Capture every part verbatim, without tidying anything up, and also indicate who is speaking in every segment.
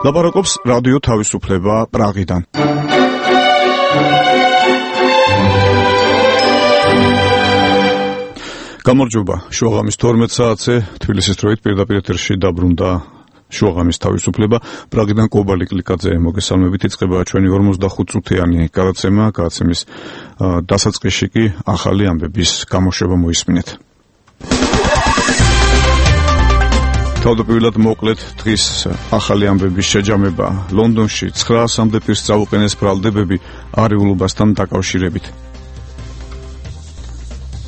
Speaker 1: ლაპარაკობს რადიო თავისუფლება პრაღიდან. გამარჯობა, შუაღამის თორმეტ საათზე თბილისის დროით პირდაპირ ეთერში დაბრუნდა შუაღამის თავისუფლება. პრაღიდან კობალი კლიკაძე მოგესალმებით. იწყება ჩვენი ორმოცდახუთ წუთიანი გადაცემა. გადაცემის დასაწყისში კი ახალი ამბების გამოშვება მოისმინეთ. თავდაპირველად მოკლედ დღის ახალი ამბების შეჯამება. ლონდონში ცხრაასამდე პირს წაუყენეს ბრალდებები არეულობასთან დაკავშირებით.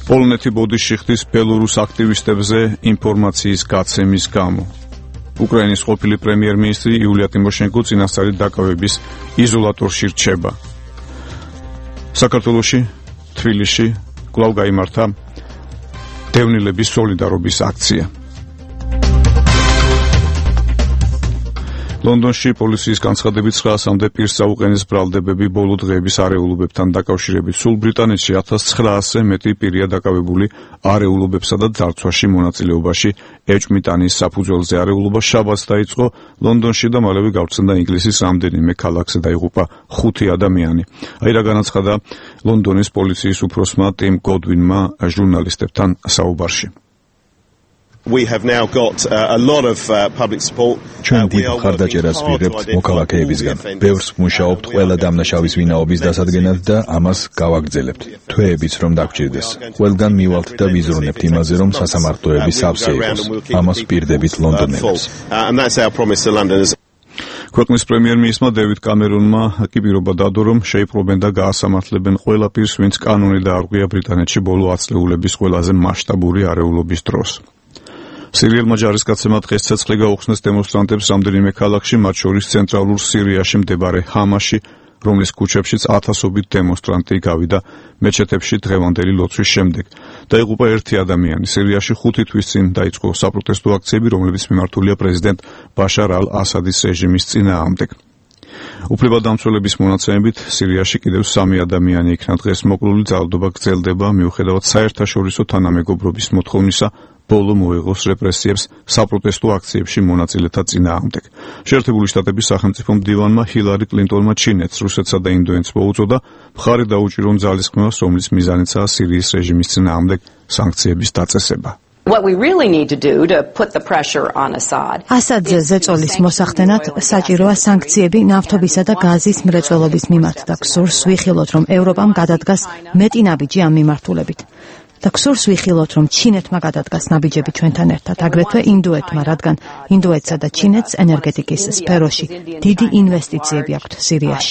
Speaker 1: პოლონეთი ბოდიში ხდის ბელორუს აქტივისტებზე ინფორმაციის გაცემის გამო. უკრაინის ყოფილი პრემიერ-მინისტრი იულია ტიმოშენკო წინასწარი დაკავების იზოლატორში რჩება. საქართველოში, თბილისში კვლავ გაიმართა დევნილების სოლიდარობის აქცია. ლონდონში პოლიციის განცხადებით ცხრაასამდე პირს წაუყენეს ბრალდებები ბოლო დღეების არეულობებთან დაკავშირებით. სულ ბრიტანეთში ათას ცხრაასზე მეტი პირია დაკავებული არეულობებსა და ძარცვაში მონაწილეობაში. ეჭვმიტანის საფუძველზე არეულობა შაბათს დაიწყო ლონდონში და მალევე გავრცელდა ინგლისის რამდენიმე ქალაქზე, დაიღუპა ხუთი ადამიანი. აი რა განაცხადა ლონდონის პოლიციის უფროსმა ტიმ გოდვინმა ჟურნალისტებთან საუბარში.
Speaker 2: We have now got uh, a lot of uh, public support.
Speaker 3: ჩვენ დიდ მხარდაჭერას ვიღებთ მოქალაქეებისგან. ბევრს ვმუშაობთ ყველა დამნაშავის ვინაობის დასადგენად და ამას გავაგრძელებთ. თვეებიც რომ დაგჭირდეს. ყველგან მივალთ და ვიზრუნებთ იმაზე, რომ სასამართლოები სავსე იყოს. ამას პირდებით ლონდონელებს.
Speaker 1: ქვეყნის პრემიერ-მინისტრმა დევიდ კამერონმა კი პირობა დადო, რომ შეიპყრობენ და გაასამართლებენ ყველა პირს, ვინც კანონი დაარღვია ბრიტანეთში ბოლო ათწლეულების ყველაზე მასშტაბური არეულობის დროს. სირიელმა ჯარისკაცებმა დღეს ცეცხლი გაუხსნეს დემონსტრანტებს რამდენიმე ქალაქში, მათ შორის ცენტრალურ სირიაში მდებარე ჰამაში, რომლის ქუჩებშიც ათასობით დემონსტრანტი გავიდა მეჩეთებში დღევანდელი ლოცვის შემდეგ. დაიღუპა ერთი ადამიანი. სირიაში ხუთი თვის წინ დაიწყო საპროტესტო აქციები, რომლებიც მიმართულია პრეზიდენტ ბაშარ ალ-ასადის რეჟიმის წინააღმდეგ. უფლებადამცველების მონაცემებით სირიაში კიდევ სამი ადამიანი იქნა დღეს მოკლული. ძალადობა გრძელდება მიუხედავად საერთაშორისო თანამეგობრობის მოთხოვნისა ბოლო მოეღოს რეპრესიებს საპროტესტო აქციებში მონაწილეთა წინააღმდეგ. შეერთებული შტატების სახელმწიფო მდივანმა ჰილარი კლინტონმა ჩინეთს, რუსეთსა და ინდოეთს მოუწოდა მხარი დაუჭირო ძალისხმევას, რომლის მიზანიცაა სირიის რეჟიმის წინააღმდეგ სანქციების დაწესება.
Speaker 4: What we really need to do to put the pressure on Assad.
Speaker 5: ასადზე ზეწოლის მოსახდენად საჭიროა სანქციები ნავთობისა და გაზის მრეწველობის მიმართ და გსურს ვიხილოთ, რომ ევროპამ გადადგას მეტი ნაბიჯი ამ მიმართულებით. და გსურს ვიხილოთ, რომ ჩინეთმა გადადგას ნაბიჯები ჩვენთან ერთად, აგრეთვე ინდოეთმა, რადგან ინდოეთსა და ჩინეთს ენერგეტიკის სფეროში დიდი ინვესტიციები აქვთ სირიაში.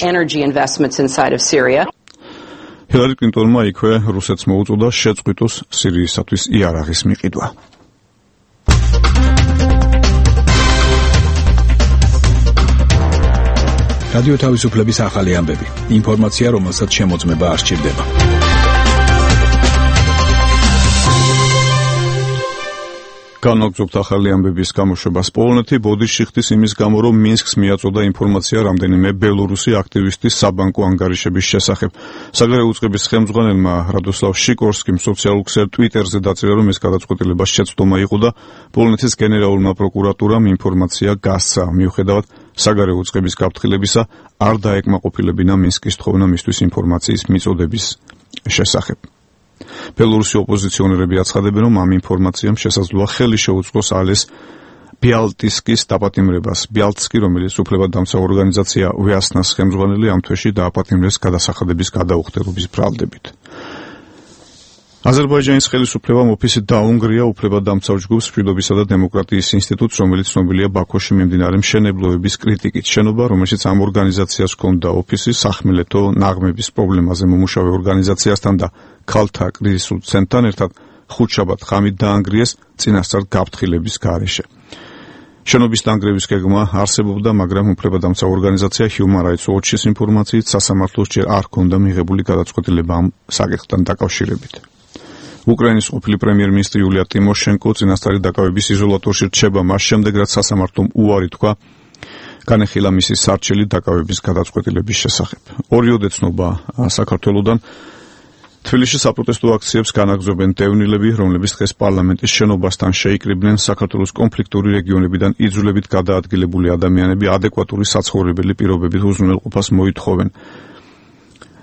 Speaker 1: ჰილარი კლინტონმა იქვე რუსეთს მოუწოდა შეწყვიტოს სირიისათვის იარაღის მიყიდვა.
Speaker 3: რადიო თავისუფლების ახალი ამბები. ინფორმაცია, რომელსაც შემოწმება არ სჭირდება.
Speaker 1: განვაგრძობთ ახალი ამბების გამოშვებას. პოლონეთი ბოდიში ხდის იმის გამო, რომ მინსკს მიაწოდა ინფორმაცია რამდენიმე ბელორუსი აქტივისტის საბანკო ანგარიშების შესახებ. საგარეო უწყების ხელმძღვანელმა რადოსლავ შიკორსკიმ სოციალურ ქსელ ტვიტერზე დაწერა, რომ ეს გადაწყვეტილება შეცდომა იყო და პოლონეთის გენერალურმა პროკურატურამ ინფორმაცია გასცა. მიუხედავად საგარეო უწყების გაფრთხილებისა, არ დაეკმაყოფილებინა მინსკის თხოვნა მისთვის ინფორმაციის მიწოდების შესახებ. ბელორუსი ოპოზიციონერები აცხადებენ, რომ ამ ინფორმაციამ შესაძლოა ხელი შეუწყოს ალეს ბიალტისკის დაპატიმრებას. ბიალტსკი, რომელიც უფლებადამცავ ორგანიზაცია ვიასნას ხელმძღვანელი, ამ თვეში დააპატიმრეს გადასახადების გადაუხდელობის ბრალდებით. აზერბაიჯანის ხელისუფლებამ ოფისი დაუნგრია უფლებადამცავ ჯგუფს მშვიდობისა და დემოკრატიის ინსტიტუტს, რომელიც ცნობილია ბაქოში მიმდინარე მშენებლობების კრიტიკით. შენობა, რომელშიც ამ ორგანიზაციას ჰქონდა ოფისი, სახმელეთო ნაღმების პრობლემაზე მომუშავე ორგანიზაციასთან და ქალთა კრიზისულ ცენტრთან ერთად ხუთშაბათ ღამით დაანგრიეს წინასწარ გაფრთხილების გარეშე. შენობის დანგრევის გეგმა არსებობდა, მაგრამ უფლებადამცავ ორგანიზაცია Human Rights Watch-ის ინფორმაციით სასამართლოს ჯერ არ ჰქონდა მიღებული გადაწყვეტილება ამ საკითხთან დაკავშირებით. უკრაინის ყოფილი პრემიერ-მინისტრი იულია ტიმოშენკო წინასწარი დაკავების იზოლატორში რჩება მას შემდეგ, რაც სასამართლომ უარი თქვა განეხილა მისი სარჩელი დაკავების გადაწყვეტილების შესახებ. ორიოდე ცნობა საქართველოდან თბილისში საპროტესტო აქციებს განაგრძობენ დევნილები, რომლებიც დღეს პარლამენტის შენობასთან შეიკრიბნენ საქართველოს კონფლიქტური რეგიონებიდან იძულებით გადაადგილებული ადამიანები ადეკვატური საცხოვრებელი პირობებით უზრუნველყოფას მოითხოვენ.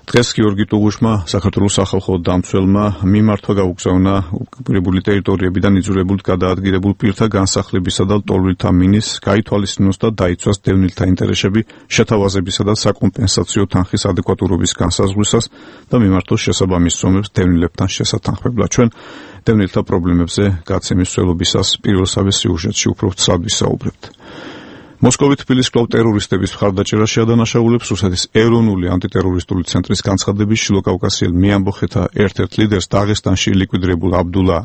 Speaker 1: დღეს გიორგი ტუღუშმა საქართველოს სახალხო დამცველმა მიმართვა გაუგზავნა ოკუპირებული ტერიტორიებიდან იძულებულად გადაადგილებულ პირთა განსახლებისა და ლტოლვილთა მინის გაითვალისწინოს და დაიცვას დევნილთა ინტერესები შეთავაზებისა და საკომპენსაციო თანხის ადეკვატურობის განსაზღვრისას და მიმართოს შესაბამის ზომებს დევნილებთან შესათანხმებლად. ჩვენ დევნილთა პრობლემებზე გაცემის მსვლელობისას პირველსავე სიუჟეტში უფრო ცალ ვისაუბრებთ. მოსკოვით თბილისის კვლავ ტერორისტების მხარდაჭერა შეადანაშაულებს რუსეთის ეროვნული ანტიტერორისტული ცენტრის განცხადების შილოკავკასიელ მეამბოხეთა ერთ-ერთ ლიდერს დაღესტანში ლიკვიდირებულ აბდულა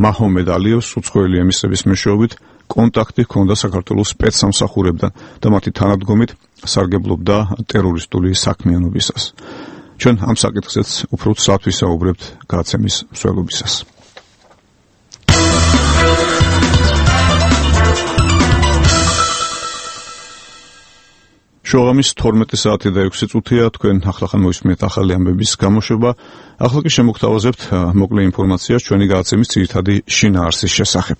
Speaker 1: მაჰომედ ალიევს უცხოელი ემისების მეშვეობით კონტაქტი ჰქონდა საქართველოს სპეცსამსახურებთან და მათი თანადგომით სარგებლობდა ტერორისტული საქმიანობისას. ჩვენ ამ საკითხზეც უფრო ცალ ვისაუბრებთ გაცემის მსვლელობისას. შოღამის თორმეტი საათი და ექვსი წუთია, თქვენ ახლახან მოისმენთ ახალი ამბების გამოშვება. ახლა კი შემოგთავაზებთ მოკლე ინფორმაციას ჩვენი გადაცემის ძირითადი შინაარსის შესახებ.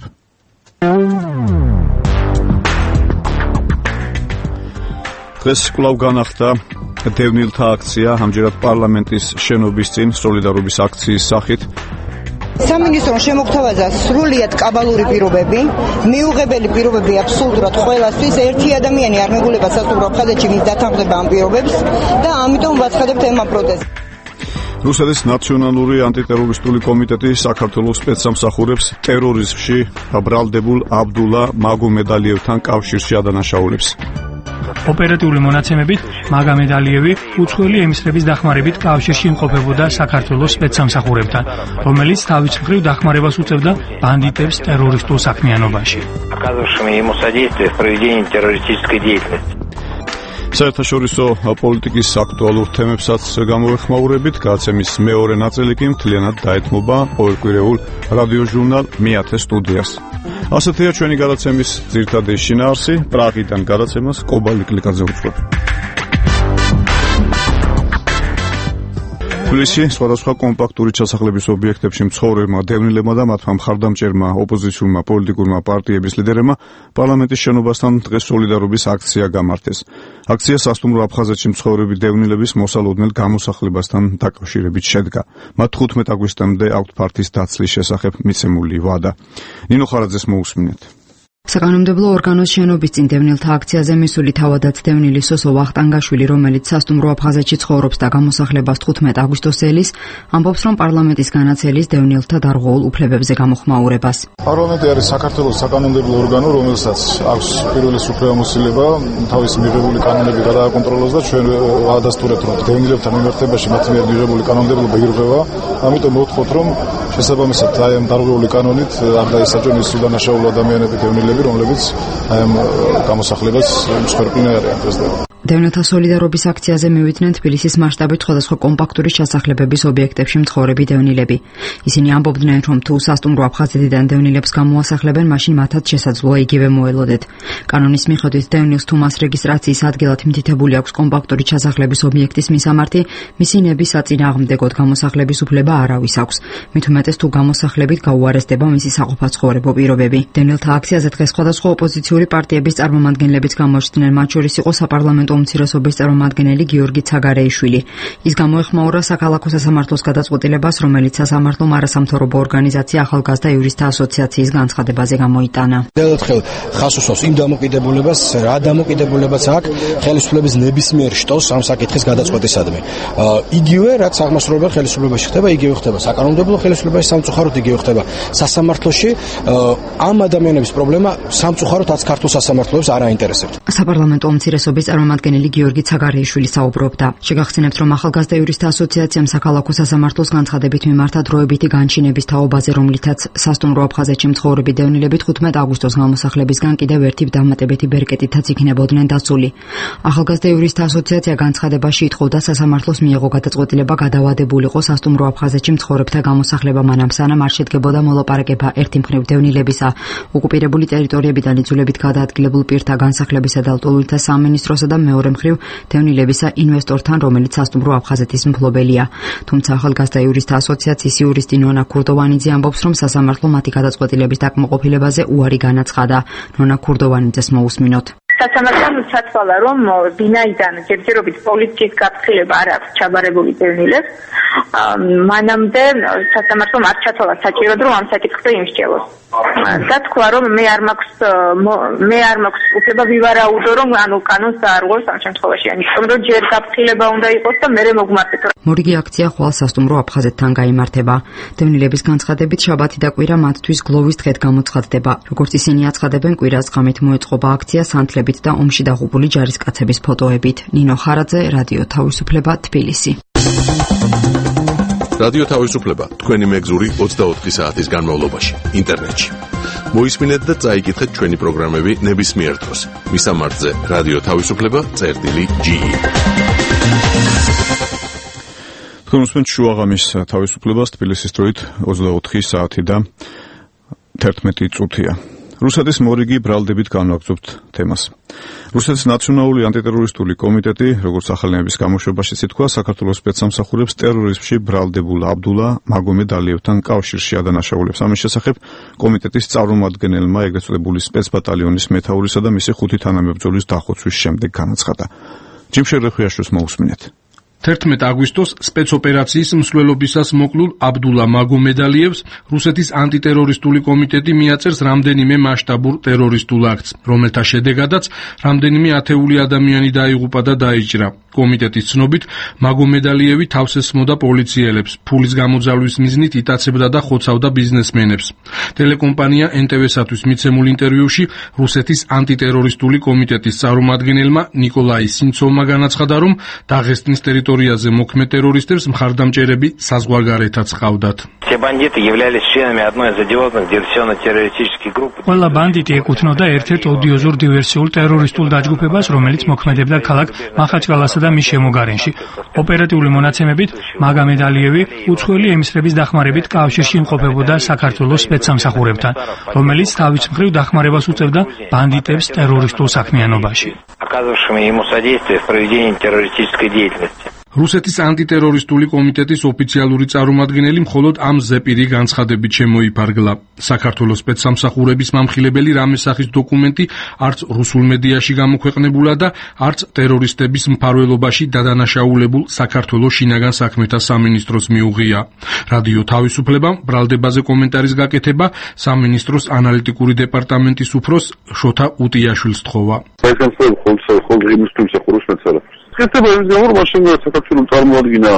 Speaker 1: დღეს კვლავ განახდა დევნილთა აქცია, ამჯერად პარლამენტის შენობის წინ სოლიდარობის აქციის სახით.
Speaker 6: სამინისტრომ შემოგთავაზა სრულიად კაბალური პირობები, მიუღებელი პირობები აბსოლუტურად ყველასთვის, ერთი ადამიანი არ მეგულება სასტუმრო აფხაზეთში ვის დათანხმდება ამ პირობებს და ამიტომ ვაცხადებთ ემ პროტესტს.
Speaker 1: რუსეთის ნაციონალური ანტიტერორისტული კომიტეტი საქართველოს სპეცსამსახურებს ტერორიზმში ბრალდებულ აბდულა მაგომედალიევთან კავშირში ადანაშაულებს.
Speaker 7: ოპერატიული მონაცემებით მაგომედ ალიევი უცხოელი ემისლების დახმარებით კავშირში იმყოფებოდა საქართველოს სპეცსამსახურებთან, რომელიც თავის მხრივ დახმარებას უწევდა ბანდიტებს ტერორისტულ საქმიანობაში.
Speaker 1: საერთაშორისო პოლიტიკის აქტუალურ თემებსაც გამოვეხმაურებით, გადაცემის მეორე ნაწილი კი მთლიანად დაეთმობა ყოველკვირეულ რადიოჟურნალ მეათე სტუდიას. ასეთია ჩვენი გადაცემის ძირითადი შინაარსი, პრაღიდან გადაცემას კობალი კლიკაძე უძღვება. თბილისში სხვადასხვა კომპაქტური ჩასახლების ობიექტებში მცხოვრებმა დევნილებმა და მათმა მხარდამჭერმა ოპოზიციურმა პოლიტიკურმა პარტიების ლიდერებმა პარლამენტის შენობასთან დღეს სოლიდარობის აქცია გამართეს. აქცია სასტუმრო აფხაზეთში მცხოვრები დევნილების მოსალოდნელ გამოსახლებასთან დაკავშირებით შედგა. მათ თხუთმეტ აგვისტომდე აქვთ ფართის დაცლის შესახებ მიცემული ვადა. ნინო ხარაძეს მოусმინეთ.
Speaker 8: საკანონმდებლო ორგანოს შენობის წინ დევნილთა აქციაზე მისული თავადაც დევნილი სოსო ვახტანგაშვილი, რომელიც სასტუმრო აფხაზეთში ცხოვრობს და გამოსახლებას თხუთმეტ აგვისტოს ელის, ამბობს, რომ პარლამენტის განაცელის დევნილთა დარღვეულ უფლებებზე გამოხმაურებას.
Speaker 9: პარლამენტი არის საქართველოს საკანონმდებლო ორგანო, რომელსაც აქვს პირველი უფლებამოსილება თავის მიღებული კანონები გადააკონტროლოს და ჩვენ ვადასტურებთ, რომ დევნილებთან მიმართებაში მათ მიერ მიღებული კანონმდებლობა ირღვევა. ამიტომ მოვთხოვთ, რომ შესაბამისად აი ამ დარღვეული კანონით არ დაისაჯონ ის უდანაშაულო ადამიანები დევნილები, რომლებიც აი ამ გამოსახლებას მსხვერპლნი არიან დღესდღეობით.
Speaker 8: დევნილთა სოლიდარობის აქციაზე მივიდნენ თბილისის მასშტაბით სხვადასხვა კომპაქტური ჩასახლებების ობიექტებში მცხოვრები დევნილები. ისინი ამბობდნენ, რომ თუ სასტუმრო აფხაზეთიდან დევნილებს გამოასახლებენ, მაშინ მათაც შესაძლოა იგივე მოელოდეთ. კანონის მიხედვით დევნილს თუ მას რეგისტრაციის ადგილად მითითებული აქვს კომპაქტური ჩასახლების ობიექტის მისამართი, მისი ნების საწინააღმდეგოდ გამოსახლების უფლება არავის აქვს. მით უმეტეს თუ გამოსახლებით გაუარესდება მისი საყოფაცხოვრებო პირობები. დევნილთა აქციაზე დღეს სხვადასხვა ოპოზიციური პარტიების წარმომადგენლებიც გამოჩნდნენ, მათ შორის იყო საპარლამენტო უმცირესობის წარმომადგენელი გიორგი ცაგარეიშვილი. ის გამოეხმაურა საქალაქო სასამართლოს გადაწყვეტილებას, რომელიც სასამართლომ არასამთავრობო ორგანიზაცია ახალგაზრდა იურისტთა ასოციაციის განცხადებაზე გამოიტანა.
Speaker 10: ერთხელ ხას უსვამს იმ დამოკიდებულებას, რა დამოკიდებულებაც აქვს ხელისუფლების ნებისმიერ შტოს ამ საკითხის გადაწყვეტისადმი. იგივე რაც აღმასრულებელ ხელისუფლებაში ხდება, იგივე ხდება საკანონმდებლო ხელისუფლებაში, სამწუხაროდ იგივე ხდება სასამართლოში. ამ ადამიანების პრობლემა სამწუხაროდ აც ქართულ სასამართლოებს არ აინტერესებთ.
Speaker 8: საპარლამენტო უმცირესობის წარმომადგენელი გიორგი ცაგარეიშვილი საუბრობდა. შეგახსენებთ, რომ ახალგაზრდა იურისტთა ასოციაციამ საქალაქო სასამართლოს განცხადებით მიმართა დროებითი განჩინების თაობაზე, რომლითაც სასტუმრო აფხაზეთში მცხოვრები დევნილები თხუთმეტ აგვისტოს გამოსახლებისგან კიდევ ერთი დამატებითი ბერკეტითაც იქნებოდნენ დაცული. ახალგაზრდა იურისტთა ასოციაცია განცხადებაში ითხოვდა სასამართლოს მიეღო გადაწყვეტილება გადავადებულიყო სასტუმრო აფხაზეთში მცხოვრებთა გამოსახლება მანამ სანამ არ შედგებოდა მოლაპარაკება ერთი მხრივ დევნილებისა, ოკუპირებული ტერიტორიებიდან იძულებით გადაადგილებულ პირთა განსახლებისა და ლტოლვილთა სამინისტროსა და მეორე მხრივ დევნილებისა ინვესტორთან, რომელიც სასტუმრო აფხაზეთის მფლობელია. თუმცა ახალგაზრდა იურისტთა ასოციაციის იურისტი ნონა ქურდოვანიძე ამბობს, რომ სასამართლო მათი გადაწყვეტილების დაკმაყოფილებაზე უარი განაცხადა. ნონა ქურდოვანიძეს მოусმინოთ.
Speaker 11: სასამართლომ ჩათვალა, რომ ვინაიდან ჯერჯერობით პოლიციის გაფრთხილება არ აქვს ჩაბარებული დევნილებს, მანამდე სასამართლომ არ ჩათვალა საჭიროდ, რომ ამ საკითხზე იმსჯელოს. და თქვა, რომ მე არ მაქვს მე არ მაქვს უფლება ვივარაუდო, რომ ანუ კანონს დაარღვევს ამ შემთხვევაში. ამიტომ რომ ჯერ გაფრთხილება უნდა იყოს და მერე მოგმართეთ.
Speaker 8: მორიგი აქცია ხვალ სასტუმრო აფხაზეთთან გაიმართება. დევნილების განცხადებით შაბათი და კვირა მათთვის გლოვის დღედ გამოცხადდება. როგორც ისინი აცხადებენ, კვირას ღამით მოეწყობა აქცია სანთლებით და ომში დაღუპული ჯარისკაცების ფოტოებით. ნინო ხარაძე, რადიო თავისუფლება, თბილისი.
Speaker 12: რადიო თავისუფლება თქვენი მეგზური ოცდაოთხი საათის განმავლობაში ინტერნეტში. მოისმინეთ და წაიკითხეთ ჩვენი პროგრამები ნებისმიერ დროს. მისამართზე რადიო თავისუფლება წერტილი ჯი ი.
Speaker 1: თქვენ უსმენთ შუაღამის თავისუფლებას თბილისის დროით ოცდაოთხი საათი და თერთმეტი წუთია. რუსეთის მორიგი ბრალდებით განვაგრძობთ თემას. რუსეთის ნაციონალური ანტიტერორისტული კომიტეტი, როგორც ახალინების გამოშვებაშიც ითქვა, საქართველოს სპეცსამსახურებს ტერორიზმში ბრალდებულ აბდულა მაგომედ ალიევთან კავშირში ადანაშაულებს. ამის შესახებ კომიტეტის წარმომადგენელმა ეგრეთ წოდებული სპეცბატალიონის მეთაურისა და მისი ხუთი თანამებრძოლის დახოცვის შემდეგ განაცხადა. ჯიმშერ რეხვიაშვილს მოусმინეთ.
Speaker 13: თერთმეტი აგვისტოს სპეცოპერაციის მსვლელობისას მოკლულ აბდულა მაგომედალიევს რუსეთის ანტიტერორისტული კომიტეტი მიაწერს რამდენიმე მასშტაბურ ტერორისტულ აქტს, რომელთა შედეგადაც რამდენიმე ათეული ადამიანი დაიღუპა და დაიჭრა. კომიტეტის ცნობით, მაგომედალიევი თავს ესმოდა პოლიციელებს, ფულის გამოძალვის მიზნით იტაცებდა და ხოცავდა ბიზნესმენებს. ტელეკომპანია ენ ტე ვე-სათვის მიცემულ ინტერვიუში რუსეთის ანტიტერორისტული კომიტეტის წარმომადგენელმა ნიკოლაი სინცოვმა განაცხადა, რომ დაღესტნის ტერიტორიაზე მოქმედ ტერორისტებს მხარდამჭერები საზღვარგარეთაც ჰყავდათ.
Speaker 7: ყველა ბანდიტი ეკუთვნოდა ერთ-ერთ ოდიოზურ დივერსიულ ტერორისტულ დაჯგუფებას, რომელიც მოქმედებდა ქალაქ მახაჩკალასა და მის შემოგარენში. ოპერატიული მონაცემებით მაგომედ ალიევი უცხოელი ემისრების დახმარებით კავშირში იმყოფებოდა საქართველოს სპეცსამსახურებთან, რომელიც თავის მხრივ დახმარებას უწევდა ბანდიტებს ტერორისტულ საქმიანობაში.
Speaker 13: რუსეთის ანტიტერორისტული კომიტეტის ოფიციალური წარმომადგენელი მხოლოდ ამ ზეპირი განცხადებით შემოიფარგლა. საქართველოს სპეცსამსახურების მამხილებელი რამესახის დოკუმენტი არც რუსულ მედიაში გამოქვეყნებულა და არც ტერორისტების მფარველობაში დადანაშაულებულ საქართველოს შინაგან საქმეთა სამინისტროს მიუღია. რადიო თავისუფლებამ ბრალდებაზე კომენტარის გაკეთება სამინისტროს ანალიტიკური დეპარტამენტის უფროს შოთა უტიაშვილს თხოვა.
Speaker 14: კეთება ის გამო რომ მაშინ საქართველოს წარმოადგინა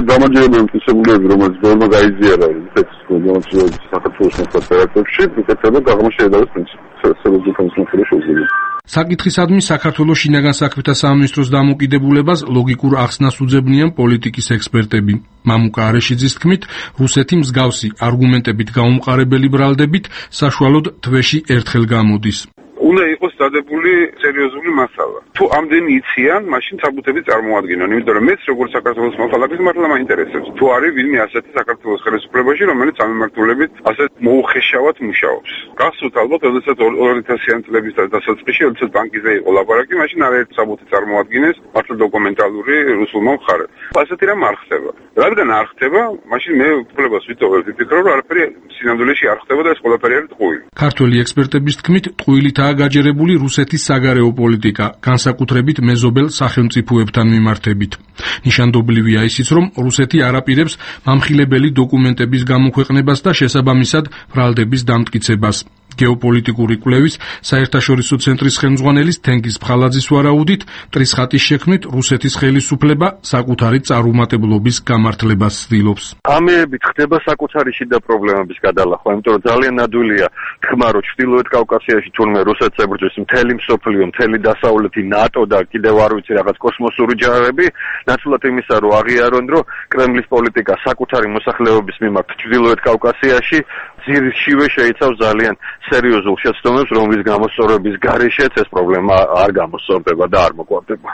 Speaker 14: დამაჯერებელი მტკიცებულები, რომელიც ბევრმა გაიზიარა ეს გამოჩენილი საქართველოს მოსახლეობებში, კეთება გაღმაშედავის პრინციპი.
Speaker 13: საკითხისადმი საქართველოს შინაგან საქმეთა სამინისტროს დამოკიდებულებას ლოგიკურ ახსნას უძებნიან პოლიტიკის ექსპერტები. მამუკა არეშიძის თქმით, რუსეთი მსგავსი არგუმენტებით გაუმყარებელი ბრალდებით საშუალოდ თვეში ერთხელ გამოდის.
Speaker 14: უნდა იყოს დადებული სერიოზული მასალა. თუ ამდენი იციან, მაშინ საბუთები წარმოადგენენ, იმიტომ რომ მეც როგორც საქართველოს მოქალაქის მართლა მაინტერესებს. თუ არის ვინმე ასეთი საქართველოს ხელისუფლებაში, რომელიც ამემართულებით ასეთ მოუხეშავად მუშაობს. გახსოვთ ალბათ, როდესაც ორი ათასიანი წლების დასაწყისში, როდესაც ბანკიზე იყო ლაპარაკი, მაშინ არაერთი საბუთი წარმოადგენეს მართლა დოკუმენტალური რუსულმა მხარემ. ასეთი რამ არ ხდება. რადგან არ ხდება, მაშინ მე უფლებას ვიტოვებ, ვიფიქრობ, რომ არაფერი სინამდვილეში არ ხდება და ეს ყველაფერი არის ტყუილი.
Speaker 13: ქართველი ექსპერტების თქმით, ტყუილითაა გაჯერებული რუსეთის საგარეო პოლიტიკა, განსაკუთრებით მეზობელ სახელმწიფოებთან მიმართებით. ნიშანდობლივია ისიც, რომ რუსეთი არ აპირებს მამხილებელი დოკუმენტების გამოქვეყნებას და შესაბამისად ბრალდების დამტკიცებას. გეოპოლიტიკური კვლევის საერთაშორისო ცენტრის ხელმძღვანელის თენგიზ ფხალაძის ვარაუდით, მტრის ხატის შექმნით რუსეთის ხელისუფლება საკუთარი წარუმატებლობის გამართლებას ცდილობს.
Speaker 14: ამეებით ხდება საკუთარი შიდა პრობლემების გადალახვა, იმიტომ რომ ძალიან ნადვილია თქმა, რომ ჩრდილოეთ კავკასიაში თურმე რუსეთს ებრძვის მთელი მსოფლიო, მთელი დასავლეთი, ნატო და კიდევ არ ვიცი რაღაც კოსმოსური ჯარები, ნაცვლად იმისა, რომ აღიარონ, რომ კრემლის პოლიტიკა საკუთარი მოსახლეობის მიმართ ჩრდილოეთ კავკასიაში ძირშივე შეიცავს ძალიან სერიოზულ შეცდომებს, რომლის გამოსწორების გარეშეც ეს პრობლემა არ გამოსწორდება და არ მოკვარდება.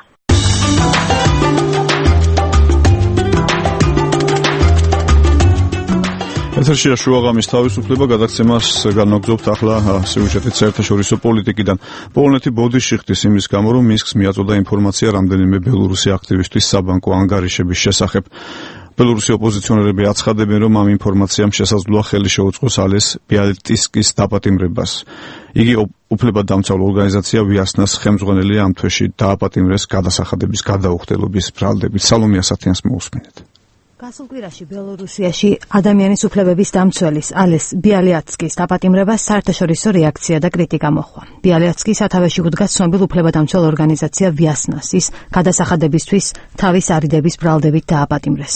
Speaker 1: ეთერშია შუაღამის თავისუფლება, გადაცემას განვაგრძობთ ახლა სიუჟეტით საერთაშორისო პოლიტიკიდან. პოლონეთი ბოდიში ხდის იმის გამო, რომ მინსკს მიაწოდა ინფორმაცია რამდენიმე ბელორუსი აქტივისტის საბანკო ანგარიშების შესახებ. ბელორუსი ოპოზიციონერები აცხადებენ, რომ ამ ინფორმაციამ შესაძლოა ხელი შეუწყოს ალეს ბიალტისკის დაპატიმრებას. იგი უფლებადამცავ ორგანიზაცია ვიასნას ხელმძღვანელი ამ თვეში დააპატიმრეს გადასახადების გადაუხდელობის ბრალდებით. სალომია სათიანს მოусმინეთ.
Speaker 5: გასულ კვირაში ბელორუსიაში ადამიანის უფლებების დამცველის ალეს ბიალიატსკის დაპატიმრებას საერთაშორისო რეაქცია და კრიტიკა მოჰყვა. ბიალიატსკი სათავეში უდგას ცნობილ უფლებადამცველ ორგანიზაცია ვიასნას, ის გადასახადებისთვის თავის არიდების ბრალდებით დააპატიმრეს.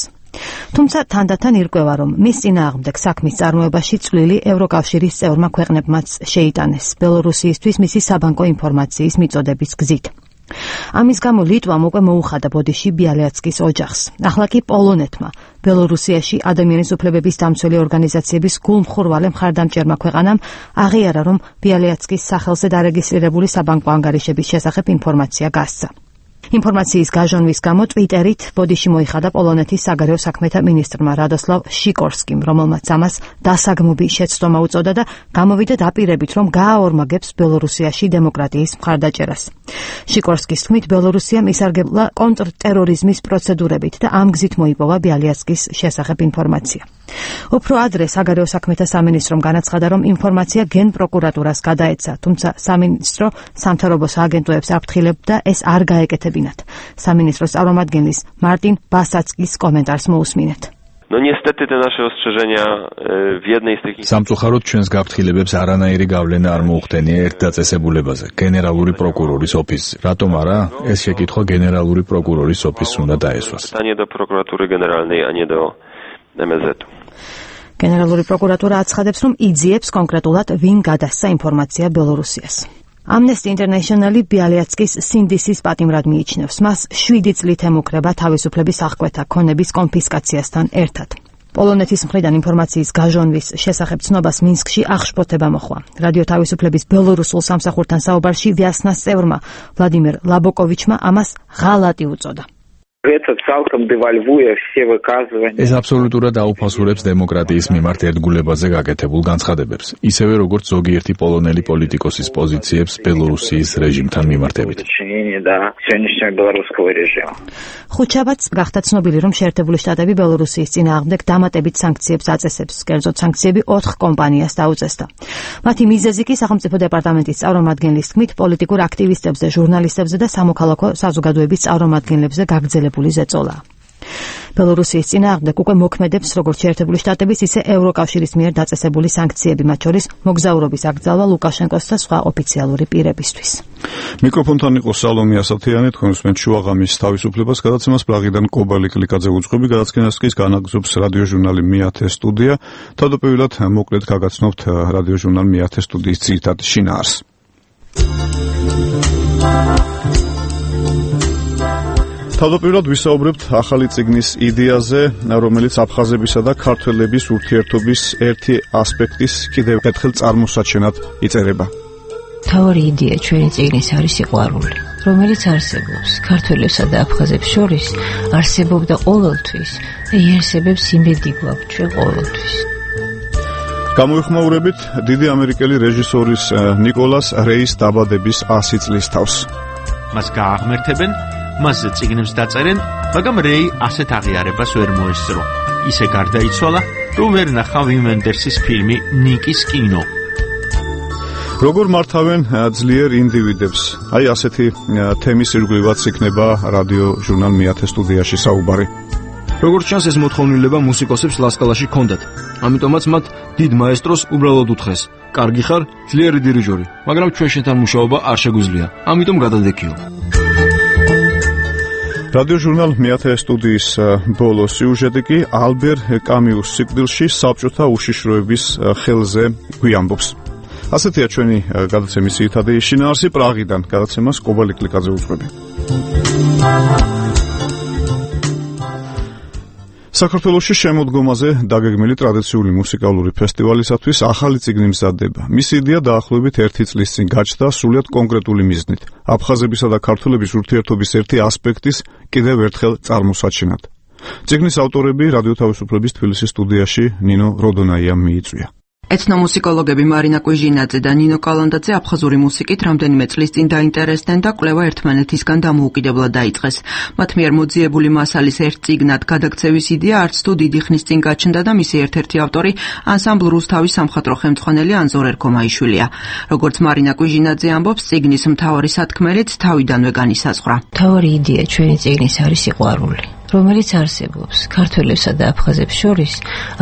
Speaker 5: თუმცა თანდათან ირკვევა, რომ მის წინააღმდეგ საქმის წარმოებაში წვლილი ევროკავშირის წევრმა ქვეყნებმაც შეიტანეს ბელორუსიისთვის მისი საბანკო ინფორმაციის მიწოდების გზით. ამის გამო ლიტვამ უკვე მოუხადა ბოდიში ბიალიატსკის ოჯახს. ახლა კი პოლონეთმა ბელორუსიაში ადამიანის უფლებების დამცველი ორგანიზაციების გულმხურვალე მხარდამჭერმა ქვეყანამ აღიარა, რომ ბიალიატსკის სახელზე დარეგისტრირებული საბანკო ანგარიშების შესახებ ინფორმაცია გასცა. ინფორმაციის გაჟონვის გამო ტვიტერით ბოდიში მოიხადა პოლონეთის საგარეო საქმეთა მინისტრმა რადოსლავ შიკორსკიმ, რომელმაც ამას დასაგმობი შეცდომა უწოდა და გამოვიდა დაპირებით, რომ გააორმაგებს ბელორუსიაში დემოკრატიის მხარდაჭერას. შიკორსკის თქმით, ბელორუსიამ ისარგებლა კონტრტერორიზმის პროცედურებით და ამ გზით მოიპოვა ბიალიატსკის შესახებ ინფორმაცია. უფრო ადრე საგარეო საქმეთა სამინისტრომ განაცხადა, რომ ინფორმაცია გენპროკურატურას გადაეცა, თუმცა სამინისტრო სამთავრობო სააგენტოებს აფრთხილებდა ეს არ გაეკეთებინათ. სამინისტროს წარმომადგენლის მარტინ ბასაცკის კომენტარს მოусმინეთ.
Speaker 15: No niestety te nasze ostrzeżenia w jednej z tych
Speaker 3: სამწუხაროდ ჩვენს გაფრთხილებებს არანაირი გავლენა არ მოუხდენია ერთ დაწესებულებაზე, გენერალური პროკურორის ოფისზე. რატომ არა? ეს შეკითხვა გენერალური პროკურორის ოფისს უნდა დაესვას.
Speaker 15: Pytanie do prokuratury generalnej, a nie do em es zet-u.
Speaker 5: გენერალური პროკურატურა აცხადებს, რომ იძიებს კონკრეტულად ვინ გადასცა ინფორმაცია ბელორუსიას. Amnesty International ბიალიატსკის სინდისის პატიმრად მიიჩნევს. მას შვიდი წლით ემუქრება თავისუფლების აღკვეთა ქონების კონფისკაციასთან ერთად. პოლონეთის მხრიდან ინფორმაციის გაჟონვის შესახებ ცნობას მინსკში აღშფოთება მოხდა. რადიო თავისუფლების ბელორუსულ სამსახურთან საუბარში ვიასნას წევრმა ვლადიმერ ლაბოკოვიჩმა ამას ღალატი უწოდა.
Speaker 3: ეს აბსოლუტურად აუფასურებს დემოკრატიის მიმართ ერთგულებაზე გაკეთებულ განცხადებებს, ისევე როგორც ზოგიერთი პოლონელი პოლიტიკოსის პოზიციებს ბელორუსიის რეჟიმთან მიმართებით.
Speaker 5: ხუთშაბათს გახდა ცნობილი, რომ შეერთებული შტატები ბელორუსიის წინააღმდეგ დამატებით სანქციებს აწესებს. კერძოდ სანქციები ოთხ კომპანიას დაუწესდა. მათი მიზეზი კი სახელმწიფო დეპარტამენტის წარმომადგენლის თქმით პოლიტიკურ აქტივისტებზე, ჟურნალისტებზე და სამოქალაქო საზოგადოების წარმომადგენლებზე გაგრძელებული ზეწოლა. ბელორუსიის წინააღმდეგ უკვე მოქმედებს როგორც შეერთებული შტატების, ისე ევროკავშირის მიერ დაწესებული სანქციები, მათ შორის მოგზაურობის აკრძალვა ლუკაშენკოს და სხვა ოფიციალური პირებისთვის.
Speaker 1: მიკროფონთან იყო სალომია სათიანი, თქვენ უსმენთ შუაღამის თავისუფლებას, გადაცემას პრაღიდან კობალი კლიკაძე უძღვები, გადაცემას კი განაგზობს რადიოჟურნალი მეათე სტუდია. თავდაპირველად მოკლედ გაგაცნობთ რადიოჟურნალ მეათე სტუდიის ძირითად შინაარსს. თავდაპირველად ვისაუბრებთ ახალი წიგნის იდეაზე, რომელიც აფხაზებისა და ქართველების ურთიერთობის ერთი ასპექტის კიდევ ერთხელ წარმოსაჩენად იწერება.
Speaker 16: თავარი იდეა ჩვენი წიგნის არის სიყვარული, რომელიც არსებობს ქართველებსა და აფხაზებს შორის, არსებობდა ყოველთვის და იარსებებს იმედი გვაქვს ჩვენ ყოველთვის.
Speaker 1: გამოიხმაურებით დიდი ამერიკელი რეჟისორის ნიკოლას რეის დაბადების ასი წლის თავს.
Speaker 17: მას გააღმერთებენ, მასზე წიგნებს დაწერენ, მაგრამ რეი ასეთ აღიარებას ვერ მოესწრო. ისე გარდაიცვალა, რომ ვერ ნახა ვიმ ვენდერსის ფილმი ნიკის კინო.
Speaker 1: როგორ მართავენ ძლიერ ინდივიდებს? აი ასეთი თემის ირგვლივაც იქნება რადიო ჟურნალ მეათე სტუდიაში საუბარი.
Speaker 10: როგორც ჩანს, ეს მოთხოვნილება მუსიკოსებს ლასკალაში ჰქონდათ. ამიტომაც მათ დიდ მაესტროს უბრალოდ უთხრეს: "კარგი ხარ, ძლიერი დირიჟორი, მაგრამ ჩვენ შენთან მუშაობა არ შეგვიძლია. ამიტომ გადადექიო."
Speaker 1: რადიო ჟურნალ მეათე სტუდიის ბოლო სიუჟეტი კი ალბერ კამიუს სიკვდილში საბჭოთა უშიშროების ხელზე გვიამბობს. ასეთია ჩვენი გადაცემის ძირითადი შინაარსი პრაღიდან. გადაცემას კობალი კლიკაძე უძღვები. საქართველოში შემოდგომაზე დაგეგმილი ტრადიციული მუსიკალური ფესტივალისათვის ახალი წიგნი მზადდება. მისი იდეა დაახლოებით ერთი წლის წინ გაჩნდა სრულიად კონკრეტული მიზნით. აფხაზებისა და ქართველების ურთიერთობის ერთი ასპექტის კიდევ ერთხელ წარმოსაჩენად. წიგნის ავტორები რადიო თავისუფლების თბილისის სტუდიაში ნინო როდონაიამ მიიწვია.
Speaker 8: ეთნომუსიკოლოგები მარინა კვიჟინაძე და ნინო კალანდაძე აფხაზური მუსიკით რამდენიმე წლის წინ დაინტერესდნენ და კვლევა ერთმანეთისგან დამოუკიდებლად დაიწყეს. მათ მიერ მოძიებული მასალის ერთ წიგნად გადაქცევის იდეა არც თუ დიდი ხნის წინ გაჩნდა და მისი ერთ-ერთი ავტორი ანსამბლ რუსთავის სამხატვრო ხელმძღვანელი ანზორ ერქომაიშვილია. როგორც მარინა კვიჟინაძე ამბობს, წიგნის მთავარი სათქმელიც თავიდანვე განისაზღვრა.
Speaker 16: მთავარი იდეა ჩვენი წიგნის არის სიყვარული, რომელიც არსებობს ქართველებსა და აფხაზებს შორის,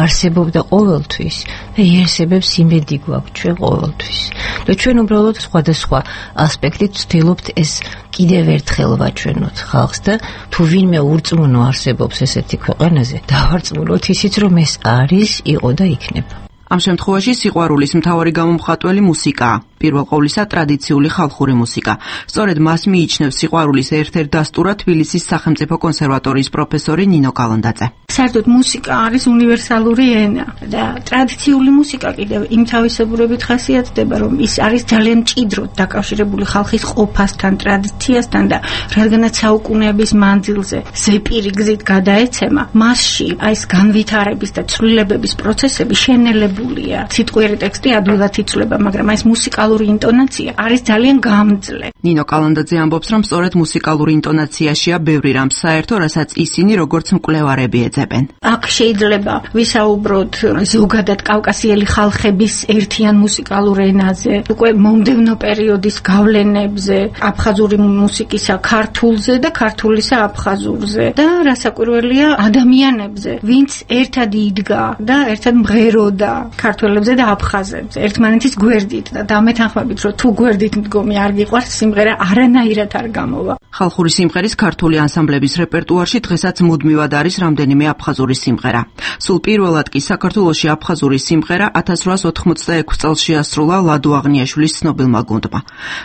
Speaker 16: არსებობდა ყოველთვის და იარსებებს იმედი გვაქვს ჩვენ ყოველთვის. და ჩვენ უბრალოდ სხვადასხვა ასპექტით ვცდილობთ ეს კიდევ ერთხელ ვაჩვენოთ ხალხს და თუ ვინმე ურწმუნო არსებობს ესეთი ქვეყანაზე, დავარწმუნოთ ისიც, რომ ეს არის, იყო და იქნება.
Speaker 8: ამ შემთხვევაში სიყვარულის მთავარი გამომხატველი მუსიკაა. პირველ ყოვლისა ტრადიციული ხალხური მუსიკა. სწორედ მას მიიჩნევს სიყვარულის ერთ-ერთ დასტურად თბილისის სახელმწიფო კონსერვატორიის პროფესორი ნინო კალანდაძე.
Speaker 18: საერთოდ მუსიკა არის უნივერსალური ენა და ტრადიციული მუსიკა კიდევ იმ თავისებურებით ხასიათდება, რომ ის არის ძალიან მჭიდროდ დაკავშირებული ხალხის ყოფასთან, ტრადიციასთან და რადგანაც საუკუნეების მანძილზე ზეპირი გზით გადაეცემა, მასში აი ეს განვითარების და ცვლილებების პროცესები შენელებულია. სიტყვიერი ტექსტი ადვილად იცვლება, მაგრამ აი ეს მუსიკალური ინტონაცია არის ძალიან გამძლე.
Speaker 8: ნინო კალანდაძე ამბობს, რომ სწორედ მუსიკალური ინტონაციაშია ბევრი რამ საერთო, რასაც ისინი როგორც მკვლევარები ეძებენ.
Speaker 18: აქ შეიძლება ვისაუბროთ ზოგადად კავკასიელი ხალხების ერთიან მუსიკალურ ენაზე, უკვე მომდევნო პერიოდის გავლენებზე, აფხაზური მუსიკისა ქართულზე და ქართულისა აფხაზურზე და რასაკვირველია ადამიანებზე, ვინც ერთად იდგა და ერთად მღეროდა ქართველებზე და აფხაზებზე, ერთმანეთის გვერდით და დამეთანხმებით, რომ თუ გვერდით მდგომი არ გიყვარს, სიმღერა არანაირად არ გამოვა.
Speaker 8: ხალხური სიმღერის ქართული ანსამბლების რეპერტუარში დღესაც მუდმივად არის რამდენიმე აფხაზური სიმღერა. სულ პირველად კი საქართველოში აფხაზური სიმღერა ათას რვაას ოთხმოცდაექვსი წელს შეასრულა ლადო აღნიაშვილის ცნობილმა გუნდმა.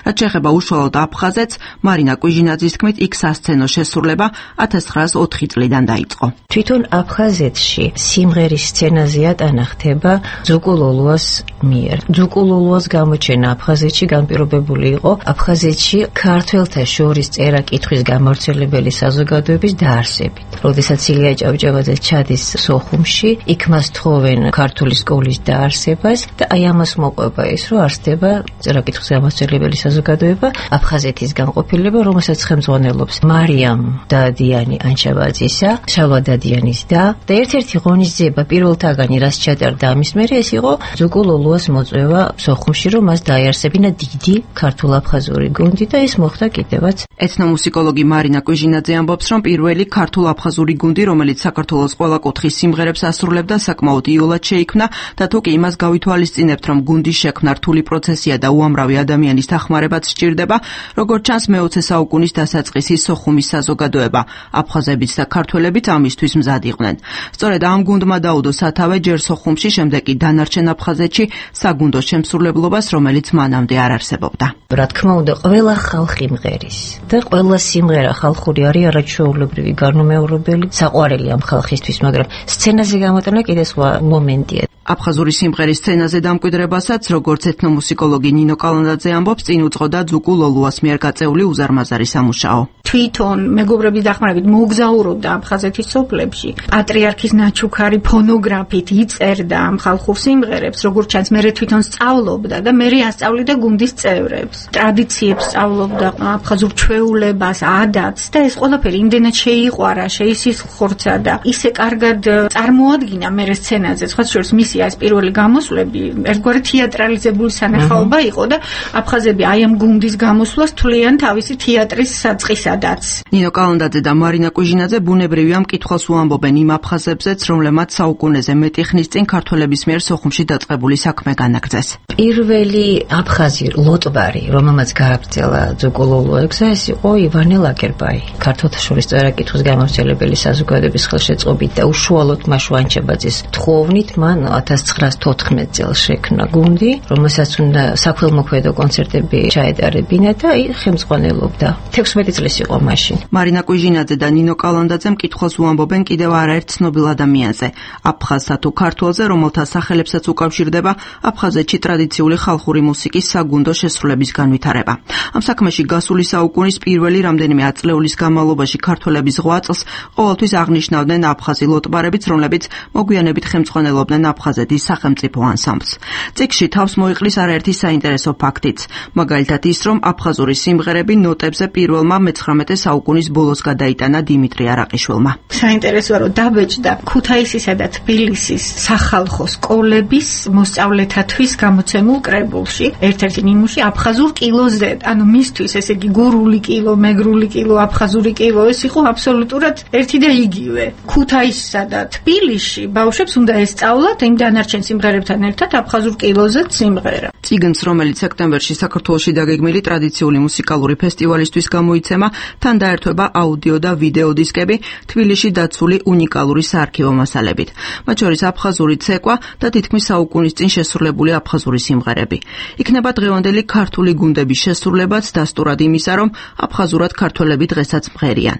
Speaker 8: რაც შეეხება უშუალოდ აფხაზეთს, მარინა კვიჟინაძის თქმით, იქ სასცენო შესრულება ათას ცხრაას ოთხი წლიდან დაიწყო.
Speaker 16: თვითონ აფხაზეთში სიმღერის სცენაზე ატანა ხდება ძუკულოლუას მიერ. ძუკულოლუას გამოჩენა აფხაზეთში განპირობებული იყო აფხაზეთში ქართველთა შორის წერა-კითხვის გამავრცელებელი საზოგადოების დაარსებით. როდესაც ილია ჭავჭავაძე ჩადის სოხუმში, იქ მას თხოვენ ქართული სკოლის დაარსებას და აი ამას მოყვება ის, რომ არსდება წერა-კითხვის გამავრცელებელი საზოგადოება აფხაზეთის განყოფილება, რომელსაც ხელმძღვანელობს მარიამ დადიანი ანჩაბაძისა, შალვა დადიანის და და ერთ-ერთი ღონისძიება პირველთაგანი რაც ჩატარდა ამის მერე ეს იყო ძუკულოლუას მოწვევა სოხუმში, რომ მას დაიარსებინა დიდი ქართულ-აფხაზური გუნდი და ეს მოხდა კიდევაც.
Speaker 8: ეთნომუსიკოლოგი მარინა კვიჟინაძე ამბობს, რომ პირველი ქართულ-აფხაზური გუნდი, რომელიც საქართველოს ყველა კუთხის სიმღერებს ასრულებდა, საკმაოდ იოლად შეიქმნა და თუ კი იმას გავითვალისწინებთ, რომ გუნდის შექმნა რთული პროცესია და უამრავი ადამიანის დახმარებაც სჭირდება, როგორც ჩანს მეოცე საუკუნის დასაწყისი სოხუმის საზოგადოება, აფხაზებიც და ქართველებიც ამისთვის მზად იყვნენ. სწორედ ამ გუნდმა დაუდო სათავე ჯერ სოხუმში, შემდეგ კი დანარჩენ აფხაზეთში საგუნდო შემსრულებლობას, რომელიც მანამდე არ არსებობდა.
Speaker 16: რა თქმა უნდა, ყველა ხალხი მღერის და ყველა სიმღერა ხალხური არის, არაჩვეულებრივი, გარნომეორებელი, საყვარელი ამ ხალხისთვის, მაგრამ სცენაზე გამოტანა კიდე სხვა მომენტია.
Speaker 8: აფხაზური სიმღერის სცენაზე დამკვიდრებასაც, როგორც ეთნომუსიკოლოგი ნინო კალანდაძე ამბობს, წინ უძღოდა ძუკულოლუას მიერ გაწეული უზარმაზარი სამუშაო.
Speaker 18: თვითონ მეგობრების დახმარებით მოგზაურობდა აფხაზეთის სოფლებში, პატრიარქის ნაჩუქარი ფონოგრაფით იწერდა ამ ხალხურ სიმღერებს, როგორც ჩანს, მე თვითონ სწავლობდა და მე ასწავლიდა გუნდის წევრებს. ტრადიციებს სწავლობდა, აფხაზურ ჩვეულებას, ადათს და ეს ყველაფერი იმდენად შეიყვარა, შეისხორცა და ისე კარგად წარმოადგინა მე სცენაზე, სხვა შორის მისი ეს პირველი გამოსვლები ერთგვარი თეატრალიზებული სანახაობა იყო და აფხაზები აი ამ გუნდის გამოსვლას თვლიან თავისი თეატრის საწყისადაც.
Speaker 8: ნინო კალანდაძე და მარინა კვიჟინაძე ბუნებრივია მკითხველს უამბობენ იმ აფხაზებზეც, რომლებმაც საუკუნეზე მეტი ხნის წინ ქართველების მიერ სოხუმში დაწყებული საქმე განაგრძეს.
Speaker 16: პირველი აფხაზი ლოტბარი, რომელმაც გააგრძელა ძუკულოლუებზე, ეს იყო ივანე ლაგერბაი. ქართველთა შორის წერა-კითხვის გამავრცელებელი საზოგადოების ხელშეწყობით და უშუალოდ მაშო ანჩაბაძის თხოვნით მან ათას ცხრაასოთხმეტ წელს შექმნა გუნდი, რომელსაც უნდა საქველმოქმედო კონცერტები ჩაეტარებინა და ხელმძღვანელობდა. თექვსმეტი წლის იყო მაშინ.
Speaker 19: მარინა კუიჟინაძე და ნინო კალანდაძე მკითხველს უამბობენ კიდევ არაერთ ცნობილ ადამიანზე, აფხაზსა თუ ქართველზე, რომელთა სახელებსაც უკავშირდება აფხაზეთში ტრადიციული ხალხური მუსიკის საგუნდო შესრულების განვითარება. ამ საქმეში გასული საუკუნის პირველი რამდენიმე ათწლეულის განმავლობაში ქართველების ღვაწლს ყოველთვის აღნიშნავდნენ აფხაზი ლოტბარებიც, რომლებიც მოგვიანებით ხელმძღვანელობდნენ აფხაზეთის სახელმწიფო ანსამბლს. წიგნში თავს მოიყრის არაერთი საინტერესო ფაქტიც, მაგალითად ის, რომ აფხაზური სიმღერები ნოტებზე პირველმა მეცხრამეტე საუკუნის ბოლოს გადაიტანა დიმიტრი არაყიშვილმა.
Speaker 18: საინტერესოა, რომ დაბეჭდა ქუთაისისა და თბილისის სახალხო სკოლების მოსწავლეთათვის გამოცემულ კრებულში, ერთ-ერთი ნიმუში აფხაზურ კილოზე, ანუ მისთვის ესე იგი გურული კილო, მეგრული კილო, აფხაზური კილო, ეს იყო აბსოლუტურად ერთი და იგივე. ქუთაისსა და თბილისში ბავშვებს უნდა ესწავლათ იმ დანარჩენ სიმღერებთან ერთად აფხაზურ კილოზე სიმღერა.
Speaker 19: წიგნს, რომელიც სექტემბერში საქართველოში დაგეგმილი ტრადიციული მუსიკალური ფესტივალისთვის გამოიცემა, თან დაერთვება აუდიო და ვიდეო დისკები თბილისში დაცული უნიკალური საარქივო მასალებით. მათ შორის აფხაზური ცეკვა და თითქმის საუკუნის წინ შესრულებული აფხაზური სიმღერები. იქნება დღევანდელი ქართული გუნდების შესრულებაც დასტურად იმისა, რომ აფხაზურად ქართველები დღესაც მღერიან.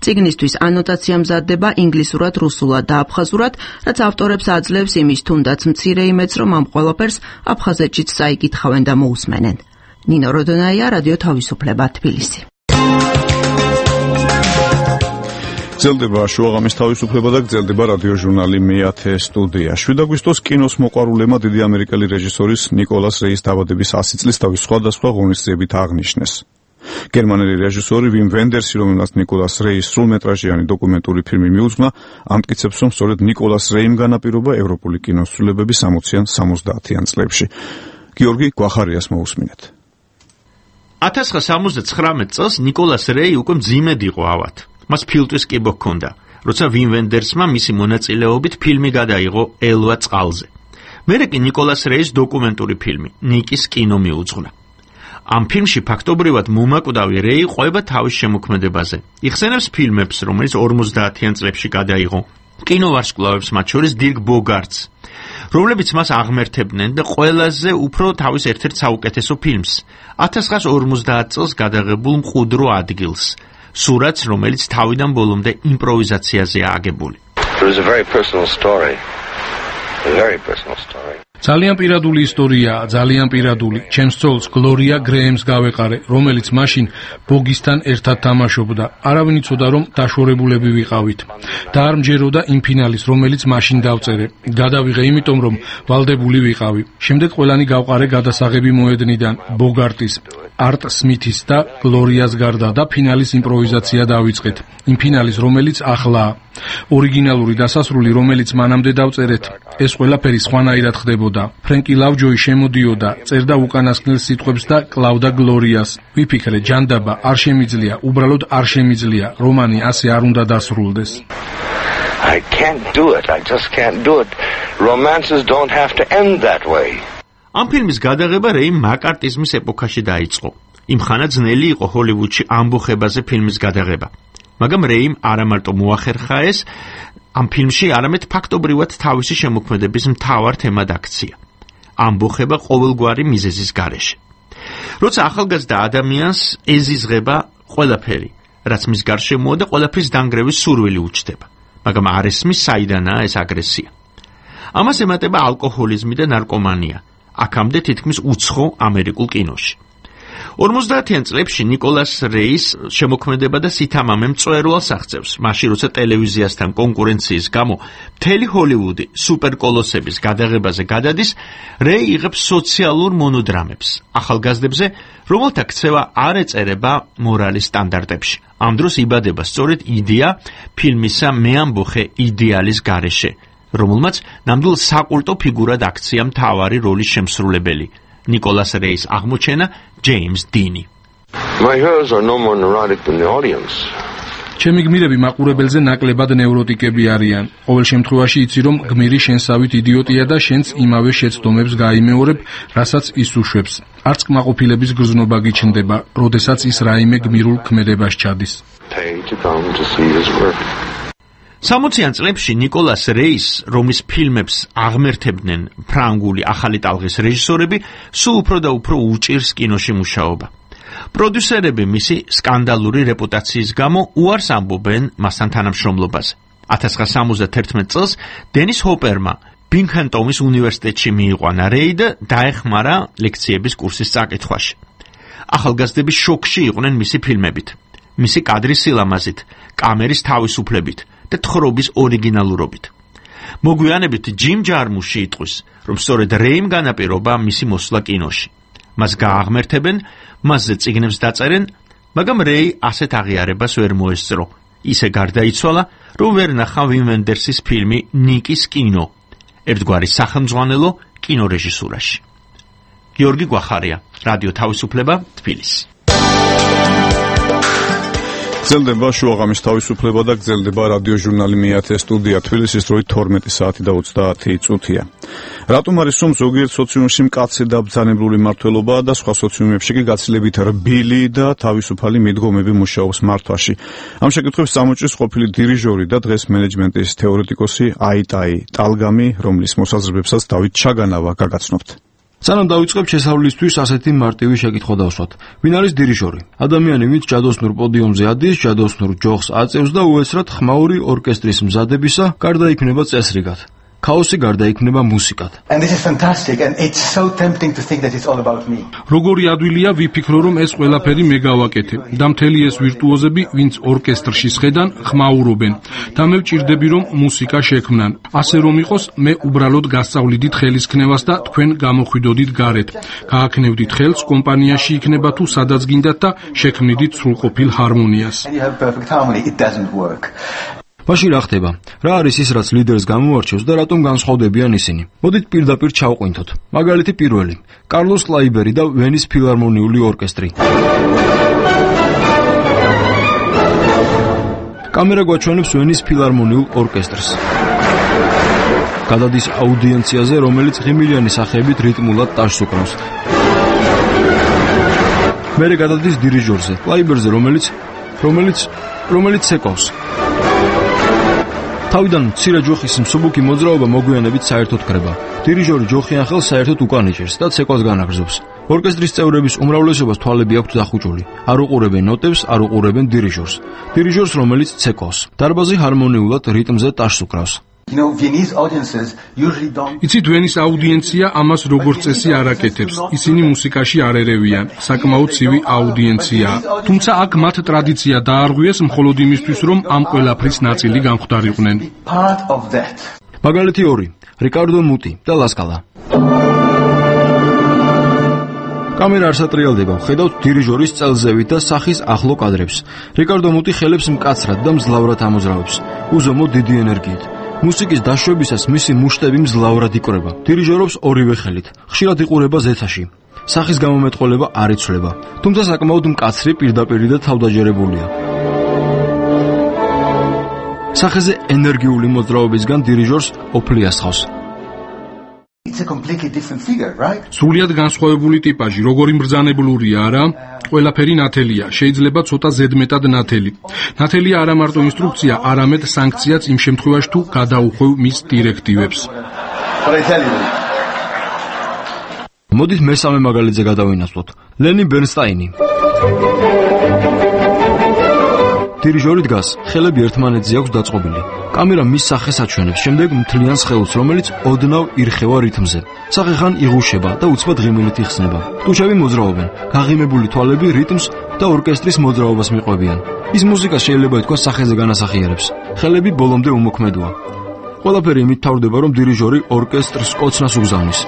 Speaker 19: წიგნისთვის ანოტაცია მზადდება ინგლისურად, რუსულად და აფხაზურად, რაც ავტორებს აძლევს იმის თუნდაც მცირე იმედს, რომ ამ ყველაფერს აფხაზეთშიც წაიკითხავენ და მოусმენენ. ნინო როდონაია, რადიო თავისუფლება, თბილისი.
Speaker 1: გრძელდება შუაღამის თავისუფლება და გრძელდება რადიო ჟურნალი მეათე სტუდია. შვიდ აგვისტოს კინოს მოყვარულებმა დიდი ამერიკელი რეჟისორის ნიკოლას რეის დაბადების ასი წლის თავის სხვადასხვა ღონისძიებით აღნიშნეს. გერმანელი რეჟისორი ვიმ ვენდერსი, რომელსაც ნიკოლას რეის სრულმეტრაჟიანი დოკუმენტური ფილმი მიუძღვნა, ამტკიცებს, რომ სწორედ ნიკოლას რეიმ განაპირობა ევროპული კინოსრულებები სამოციან სამოცდაათიან წლებში. გიორგი გვახარიას მოусმინეთ.
Speaker 17: ათას ცხრაასა სამოცდათხრამეტ წელს ნიკოლას რეი უკვე მძიმედ იყო ავად. მას ფილტვის კიბო ჰქონდა, როცა ვიმ ვენდერსმა მისი მონაწილეობით ფილმი გადაიღო ელვა წყალზე. მერე კი ნიკოლას რეის დოკუმენტური ფილმი ნიკის კინო მიუძღვნა. ამ ფილმში ფაქტობრივად მომაკვდავი რეი ყვება თავის შემოქმედებაზე. იხსენებს ფილმებს, რომელიც ორმოცდაათიან წლებში გადაიღო, კინოვარსკვლავებს, მათ შორის დირკ ბოგარტს, რომლებიც მას აღმერთებდნენ და ყველაზე უფრო თავის ერთ-ერთ საუკეთესო ფილმს, ათას ცხრაასა ორმოცდაათ წელს გადაღებულ მყუდრო ადგილს, სურათს, რომელიც თავიდან ბოლომდე იმპროვიზაციაზეა აგებული.
Speaker 20: It was a very personal story. A very personal story.
Speaker 13: ძალიან პირადული ისტორიაა, ძალიან პირადული. ჩემს ცოლს გლორია გრეემს გავეყარე, რომელიც მაშინ ბოგისთან ერთად თამაშობდა. არავინ იცოდა, რომ დაშორებულები ვიყავით. და არ მჯეროდა იმ ფინალის, რომელიც მაშინ დავწერე. გადავიღე იმიტომ, რომ ვალდებული ვიყავი. შემდეგ ყველანი გავყარე გადასაღები მოედნიდან, ბოგარტის, არტ სმითის და გლორიას გარდა და ფინალის იმპროვიზაცია დავიწყეთ. იმ ფინალის, რომელიცახლაა. ორიგინალური დასასრული, რომელიც მანამდე დავწერეთ, ეს ყველაფერი სხვანაირად ხდებოდა. ფრენკი ლავჯოი შემოდიოდა, წერდა უკანასკნელ სიტყვებს და კლავდა გლორიას. ვიფიქრე, ჯანდაბა არ შემიძლია, უბრალოდ არ შემიძლია, რომანი ასე არ უნდა დასრულდეს.
Speaker 20: I can't do it. I just can't do it. Romances don't have to end that way.
Speaker 17: ამ ფილმის გადაღება რეიმ მაკარტიზმის ეპოქაში დაიწყო. იმ ხანა ძნელი იყო ჰოლივუდში ამბოხებაზე ფილმის გადაღება. მაგრამ რეიმ არა მარტო მოახერხა ეს ამ ფილმში, არამედ ფაქტობრივად თავისი შემოქმედების მთავარ თემად აქცია. ამბოხება ყოველგვარი მიზეზის გარეშე. როცა ახალგაზრდა ადამიანს ეზიზღება ყველაფერი, რაც მის გარშემოა და ყველაფრის დანგრევის სურვილი უჩნდება, მაგრამ არ ესმის საიდანაა ეს აგრესია. ამას ემატება ალკოჰოლიზმი და ნარკომანია, აქამდე თითქმის უცხო ამერიკულ კინოში. ორმოცდაათიან წლებში ნიკოლას რეის შემოქმედება და სითამამე მწვერვალს აღწევს, მაშინ როცა ტელევიზიასთან კონკურენციის გამო მთელი ჰოლივუდი სუპერკოლოსების გადაღებაზე გადადის, რეი იღებს სოციალურ მონოდრამებს ახალგაზრდებზე, რომელთა ქცევა არ ეწერება მორალის სტანდარტებში. ამ დროს იბადება სწორედ იდეა ფილმისა მე ამბოხე იდეალის გარეშე, რომელმაც ნამდვილ საკულტო ფიგურად აქცია მთავარი როლის შემსრულებელი. ნიკოლას რეის აღმოჩენა ჯეიმს დინი.
Speaker 20: My heroes are no more neurotic than the audience.
Speaker 13: ჩემი გმირები მაყურებელზე ნაკლებად ნევროტიკები არიან. ყოველ შემთხვევაში იცი, რომ გმირი შენსავით იდიოტია და შენც იმავე შეცდომებს გაიმეორებ, რასაც ის უშვებს. არც კმაყოფილების გრძნობა გიჩნდება, როდესაც ის რაიმე გმირულ ქმედებას ჩადის.
Speaker 17: სამოციან წლებში ნიკოლას რეის, რომლის ფილმებს აღმერთებდნენ ფრანგული ახალი ტალღის რეჟისორები, სულ უფრო და უფრო უჭირს კინოში მუშაობა. პროდიუსერები მისი სკანდალური რეპუტაციის გამო უარს ამბობენ მასთან თანამშრომლობაზე. ათას ცხრაასა სამოცდაათი წელს დენის ჰოპერმა ბინგჰემტონის უნივერსიტეტში მიიყვანა რეი და დაეხმარა ლექციების კურსის წაკითხვაში. ახალგაზრდები შოკში იყვნენ მისი ფილმებით, მისი კადრის სილამაზით, კამერის თავისუფლებით და თხრობის ორიგინალურობით. მოგვიანებით ჯიმ ჯარმუში იტყვის, რომ სწორედ რეიმ განაპირობა მისი მოსვლა კინოში. მას გააღმერთებენ, მასზე წიგნებს დაწერენ, მაგრამ რეი ასეთ აღიარებას ვერ მოესწრო. ისე გარდაიცვალა, რომ ვერ ნახა ვიმ ვენდერსის ფილმი ნიკის კინო, ერთგვარი სახელმძღვანელო კინორეჟისურაში. გიორგი გვახარია, რადიო თავისუფლება, თბილისი.
Speaker 1: გრძელდება შუაღამის თავისუფლება და გრძელდება რადიო ჟურნალი მეათე სტუდია თბილისის დროით თორმეტი საათი და ოცდაათი წუთია. რატომ არის რომ ზოგიერთ სოციუმში მკაცრი და ბრძანებლური მმართველობა და სხვა სოციუმებში კი გაცილებით რბილი და თავისუფალი მიდგომები მუშაობს მართვაში? ამ შეკითხვებს წამოჭრის ყოფილი დირიჟორი და დღეს მენეჯმენტის თეორეტიკოსი აიტაი ტალგამი, რომლის მოსაზრებებსაც დავით ჩაგანავა გაგაცნობთ.
Speaker 10: სანამ დავიწყებ შესავლისთვის ასეთი მარტივი შეკითხვა დავსვათ. ვინ არის დირიჟორი? ადამიანი, ვინც ჯადოსნურ პოდიუმზე ადის, ჯადოსნურ ჯოხს აწევს და უესრად ხმაური ორკესტრის მზადებისა გარდაიქმნება წესრიგად. ქაოსი გარდაიქმნება მუსიკად.
Speaker 21: And this is fantastic and it's so tempting to think that it's all about me.
Speaker 13: როგორი ადვილია ვიფიქრო რომ ეს ყველაფერი მე გავაკეთე და მთელი ეს ვირტუოზები, ვინც ორკესტრში სხედან, ხმაურობენ და მე ვჭირდები რომ მუსიკა შექმნან. ასე რომ იყოს, მე უბრალოდ გასწავლიდით ხელისქნევას და თქვენ გამოხვიდოდით გარეთ. გააქნევდით ხელს კომპანიაში იქნება თუ სადაც გინდათ და შექმნიდით სრულყოფილ ჰარმონიას.
Speaker 21: And you have perfect harmony. It doesn't work.
Speaker 10: მაშინ რა ხდება? რა არის ის, რაც ლიდერს გამოარჩევს და რატომ განსხვავდებიან ისინი? მოდით პირდაპირ ჩავყვინთოთ. მაგალითი პირველი: კარლოს კლაიბერი და ვენის ფილარმონიული ორკესტრი. კამერა გვაჩვენებს ვენის ფილარმონიულ ორკესტრს. გადადის აუდიენციაზე, რომელიც ღიმილიანი სახეებით რიტმულად ტაშს უკრავს. მერე გადადის დირიჟორზე, კლაიბერზე, რომელიც რომელიც რომელიც ცეკვავს. თავიდან მცირე ჯოხის მსუბუქი მოძრაობა მოგვიანებით საერთოდ კრება. დირიჟორი ჯოხიან ხელს საერთოდ უკან იჭერს და ცეკვას განაგრძობს. ორკესტრის წევრების უმრავლესობას თვალები აქვთ დახუჭული. არ უყურებენ ნოტებს, არ უყურებენ დირიჟორს. დირიჟორს, რომელიც ცეკვავს. დარბაზი ჰარმონიულად რიტმზე ტაშს უკრავს.
Speaker 21: You know, Viennese audiences usually don't.
Speaker 13: იცით, ვენის აუდიენცია ამას როგორც წესი არ აკეთებს. ისინი მუსიკაში არ ერევიან. საკმაოდ ცივი აუდიენციაა. თუმცა აქ მათ ტრადიცია დაარღვიეს მხოლოდ იმისთვის, რომ ამ ყველაფრის ნაწილი გამხვდარიყვნენ.
Speaker 21: Part of that.
Speaker 10: მაგალითი ორი: რიკარდო მუტი და ლასკალა. კამერა არ სატრიალდება, ხედავთ დირიჟორის წელზევით და სახის ახლო კადრებს. რიკარდო მუტი ხელებს მკაცრად და მძლავრად ამოძრავებს. უზომო დიდი ენერგიით. მუსიკის დაშვებისას მისი მუშტები მძლავრად იკვრება. დირიჟორობს ორივე ხელით. ხშირად იყურება ზეთაში. სახის გამომეტყველება არ იცვლება, თუმცა საკმაოდ მკაცრი პირდაპირი და თავდაჯერებულია. სახეზე ენერგიული მოძრაობისგან დირიჟორს ოფლი ასხავს.
Speaker 21: It's a completely different figure, right?
Speaker 13: სრულიად განსხვავებული ტიპაჟი, როგორი მბრძანებლურია, არა? ყველაფერი ნათელია, შეიძლება ცოტა ზედმეტად ნათელი. ნათელია არა მარტო ინსტრუქცია, არამედ სანქციაც იმ შემთხვევაში თუ გადაუხვევ მის დირექტივებს.
Speaker 10: მოდით მესამე მაგალითზე გადავინაცვლოთ. ლენი ბერნსტაინი. დირიჟორი დგას, ხელები ერთმანეთზე აქვს დაწყობილი. კამერა მის სახეს აჩვენებს, შემდეგ მთლიან სხეულს, რომელიც ოდნავ ირხევა რითმზე. სახე ხან იღუშება და უცბად ღიმილით იხსნება. ტუჩები მოძრაობენ, გაღიმებული თვალები რიტმს და ორკესტრის მოძრაობას მიყვებიან. ის მუსიკა შეიძლება ითქვას სახეზე განასახიერებს. ხელები ბოლომდე უმოქმედოა. ყველაფერი იმით თავდება, რომ დირიჟორი ორკესტრს კოცნას უგზავნის.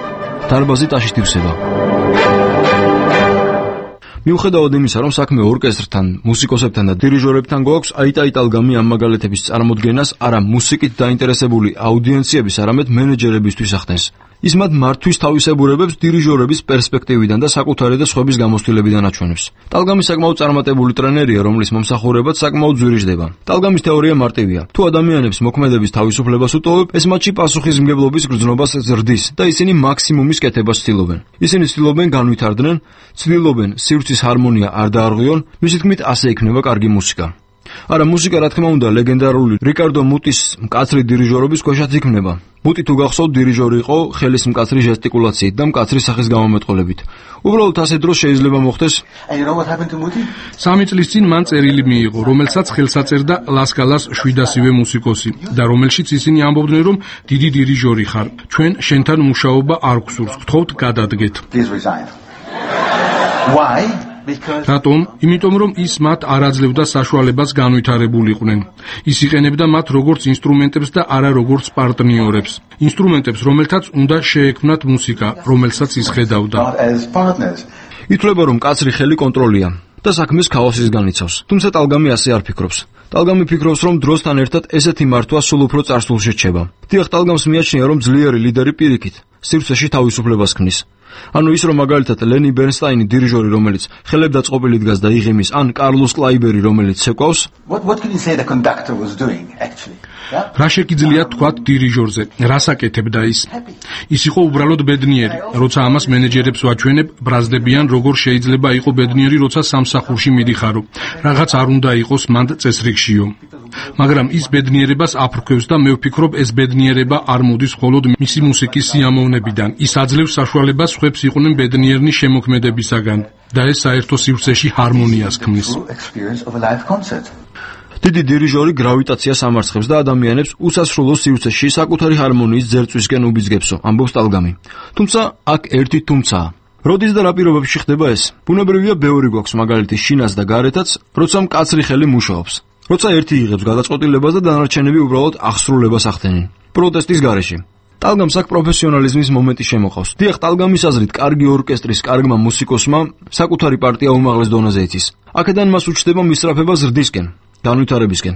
Speaker 10: დარბაზი ტაშით ივსება. მიუხედავად იმისა, რომ საქმე ორკესტრთან, მუსიკოსებთან და დირიჟორებთან გვაქვს, აიტაი ტალგამი ამ მაგალითების წარმოდგენას არა მუსიკით დაინტერესებული აუდიენციების, არამედ მენეჯერებისთვის ახდენს. ის მათ მართვის თავისებურებებს დირიჟორების პერსპექტივიდან და საკუთარი და სხვების გამოცდილებიდან აჩვენებს. ტალგამი საკმაოდ წარმატებული ტრენერია, რომლის მომსახურებაც საკმაოდ ძვირიждდება. ტალგამის თეორია მარტივია. თუ ადამიანებს მოქმედების თავისუფლებას უტოვებ, ეს მათში პასუხისმგებლობის გრძნობას ზრდის და ისინი მაქსიმუმის კეთებას ცდილობენ. ისინი ცდილობენ განვითარდნენ, ცდილობენ სივრცის ჰარმონია არ დაარღვიონ, მისი თქმით ასე იქნება კარგი მუსიკა. არა, მუსიკა რა თქმა უნდა ლეგენდარული რიკარდო მუტის მკაცრი დირიჟორობის ქვეშაც იქმნება. მუტი თუ გახსოვთ დირიჟორი იყო ხელის მკაცრი ჟესტიკულაციით და მკაცრი სახის გამომეტყველებით. უბრალოდ ასე დროს შეიძლება მოხდეს.
Speaker 13: სამი წლის წინ მან წერილი მიიღო, რომელსაც ხელსაწერდა ლასკალას შვიდასივე მუსიკოსი და რომელშიც ისინი ამბობდნენ, რომ დიდი დირიჟორი ხარ, ჩვენ შენთან მუშაობა არ გვსურს, გთხოვთ გადადგეთ.
Speaker 21: Why?
Speaker 13: რატომ? იმიტომ რომ ის მათ არ აძლევდა საშუალებას განვითარებულიყვნენ. ის იყენებდა მათ როგორც ინსტრუმენტებს და არა როგორც პარტნიორებს. ინსტრუმენტებს, რომელთაც უნდა შეექმნათ მუსიკა, რომელსაც ის ხედავდა.
Speaker 10: ითვლება რომ კაცრი ხელი კონტროლია და საქმეს ქაოსისგან იცავს. თუმცა ტალგამი ასე არ ფიქრობს. ტალგამი ფიქრობს, რომ დროსთან ერთად ესეთი მართვა სულ უფრო წარსულში რჩება. დიახ, ტალგამს მიაჩნია, რომ ძლიერი ლიდერი პირიქით სივრცეში თავისუფლებას ქმნის. ანუ ის რომ მაგალითად ლენი ბერნსტაინი დირიჟორი, რომელიც ხელებდა წყობილი დგას და იღიმის, ან კარლოს კლაიბერი, რომელიც ცეკვავს.
Speaker 21: What what can you say the conductor was doing actually?
Speaker 13: რა შეგიძლია თქვათ დირიჟორზე? რას აკეთებდა ის? ის იყო უბრალოდ ბედნიერი. როცა ამას მენეჯერებს ვაჩვენებ, ბრაზდებიან, როგორ შეიძლება იყო ბედნიერი, როცა სამსახურში მიდიხარო. რაღაც არ უნდა იყოს მანდ წესრიგშიო. მაგრამ ის ბედნიერებას აფრქვევს და მე ვფიქრობ, ეს ბედნიერება არ მოდის მხოლოდ მისი მუსიკის სიამოვნებიდან. ის აძლევს საშუალებას სხვებს იყვნენ ბედნიერნი შემოქმედებისაგან და ეს საერთო სივრცეში ჰარმონიას ქმნის.
Speaker 10: დიდი დირიჟორი გრავიტაციას ამარცხებს და ადამიანებს უსასრულო სივრცეში საკუთარი ჰარმონიის ძერწვისკენ უბიძგებსო, ამბობს ტალგამი. თუმცა აქ ერთი თუმცაა. როდის და რა პირობებში ხდება ეს? ბუნებრივია ბევრი გვაქვს მაგალითი შინას და გარეთაც, როცა მკაცრი ხელი მუშაობს. როცა ერთი იღებს გადაწყვეტილებას და დანარჩენები უბრალოდ აღსრულებას ახდენენ. პროტესტის გარეშე. ტალგამს აქ პროფესიონალიზმის მომენტი შემოყავს. დიახ, ტალგამის აზრით, კარგი ორკესტრის კარგმა მუსიკოსმა საკუთარი პარტია უმაღლეს დონეზე იცის. აქედან მას უჩნდება მისწრაფება ზრდისკენ, განვითარებისკენ.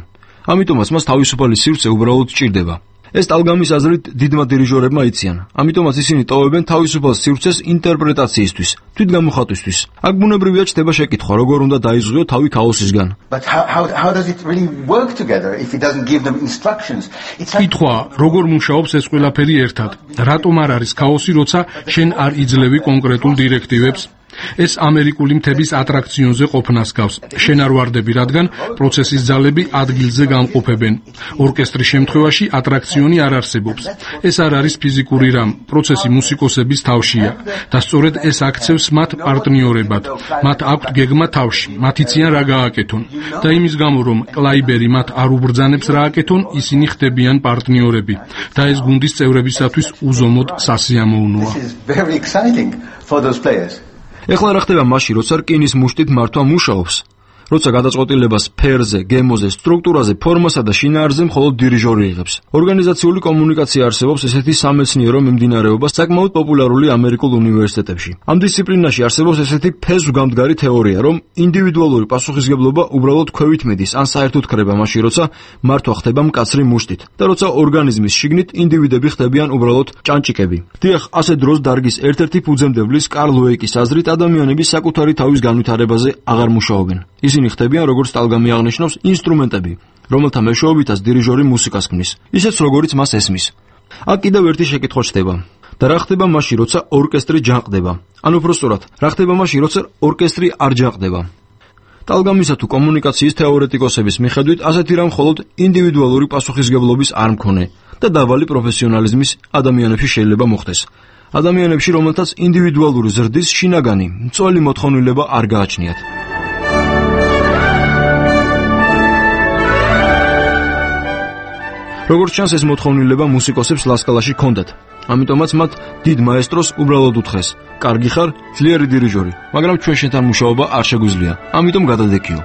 Speaker 10: ამიტომაც მას თავისუფალი სივრცე უბრალოდ სჭირდება. ეს ტალგამის აზრით დიდმა დირიჟორებმა იციან. ამიტომაც ისინი ტოვებენ თავისუფალ სივრცეს ინტერპრეტაციისთვის, თვითგამოხატვისთვის. აქ ბუნებრივია ჩდება შეკითხვა, როგორ უნდა დაიზღიო თავი ქაოსისგან.
Speaker 21: But how how how does it really work together if he doesn't give them instructions? It's like
Speaker 13: კითხვა, როგორ მუშაობს ეს ყველაფერი ერთად? რატომ არ არის ქაოსი, როცა შენ არ იძლევი კონკრეტულ დირექტივებს? ეს ამერიკული მთების ატრაქციონზე ყოფნას გავს. შენ არ ვარდები, რადგან პროცესის ძალები ადგილზე გამყოფებენ. ორკესტრის შემთხვევაში ატრაქციონი არ არსებობს. ეს არ არის ფიზიკური რამ, პროცესი მუსიკოსების თავშია და სწორედ ეს აქცევს მათ პარტნიორებად. მათ აქვთ გეგმა თავში, მათ იციან რა გააკეთონ და იმის გამო რომ კლაიბერი მათ არ უბრძანებს რა აკეთონ, ისინი ხდებიან პარტნიორები და ეს გუნდის წევრებისათვის უზომოდ სასიამოვნოა.
Speaker 21: This is very exciting for those players.
Speaker 10: ეხლა რა ხდება მაშინ, როცა რკინის მუშტით მართვა მუშაობს? როცა გადაწყვეტილებას სფეროზე, გემოზე, სტრუქტურაზე, ფორმასა და შინაარსზე მხოლოდ დირიჟორი იღებს. ორგანიზაციული კომუნიკაცია არსებობს ესეთი სამეცნიერო მიმდინარეობა საკმაოდ პოპულარული ამერიკულ უნივერსიტეტებში. ამ დისციპლინაში არსებობს ესეთი ფესვგამდგარი თეორია, რომ ინდივიდუალური პასუხისგებლობა უბრალოდ ქვევით მიდის, ან საერთოდ ქრება მაშინ, როცა მართვა ხდება მკაცრი მუშტით და როცა ორგანიზმის შიგნით ინდივიდები ხდებიან უბრალოდ ჭანჭიკები. დიახ, ასე დროს დარგის ერთ-ერთი ფუძემდებლის კარლ უეიკის აზრით ადამიანები საკუთარი თავის განვითარებაზე აღარ მუშაობენ. ისინი ხდებიან, როგორც ტალგამი აღნიშნავს, ინსტრუმენტები, რომელთა მეშვეობითაც დირიჟორი მუსიკას ქმნის, ისეც როგორც მას ესმის. აქ კიდევ ერთი შეკითხვა ჩდება. და რა ხდება მაშინ, როცა ორკესტრი ჯანყდება? ანუ უბრალოდ, რა ხდება მაშინ, როცა ორკესტრი არ ჯანყდება? ტალგამისა თუ კომუნიკაციის თეორეტიკოსების მიხედვით, ასეთი რამ მხოლოდ ინდივიდუალური პასუხისგებლობის არ მქონე და დაბალი პროფესიონალიზმის ადამიანებში შეიძლება მოხდეს. ადამიანებში, რომელთაც ინდივიდუალური ზრდის შინაგანი, მწველი მოთხოვნილება არ გააჩნიათ. როგორც ჩანს, ეს მოთხოვნილება მუსიკოსებს ლასკალაში ჰქონდათ. ამიტომაც მათ დიდ მაესტროს უბრალოდ უთხრეს: "კარგი ხარ, ძლიერი დირიჟორი, მაგრამ ჩვენ შენთან მუშაობა არ შეგვიძლია. ამიტომ გადადექიო."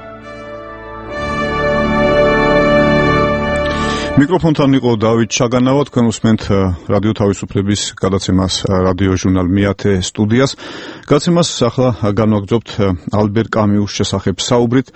Speaker 1: მიკროფონთან იყო დავით ჩაგანავა, თქვენ უსმენთ რადიო თავისუფლების გადაცემას რადიო ჟურნალ მეათე სტუდიას. გადაცემას ახლა განვაგრძობთ ალბერ კამიუს შესახებ საუბრით.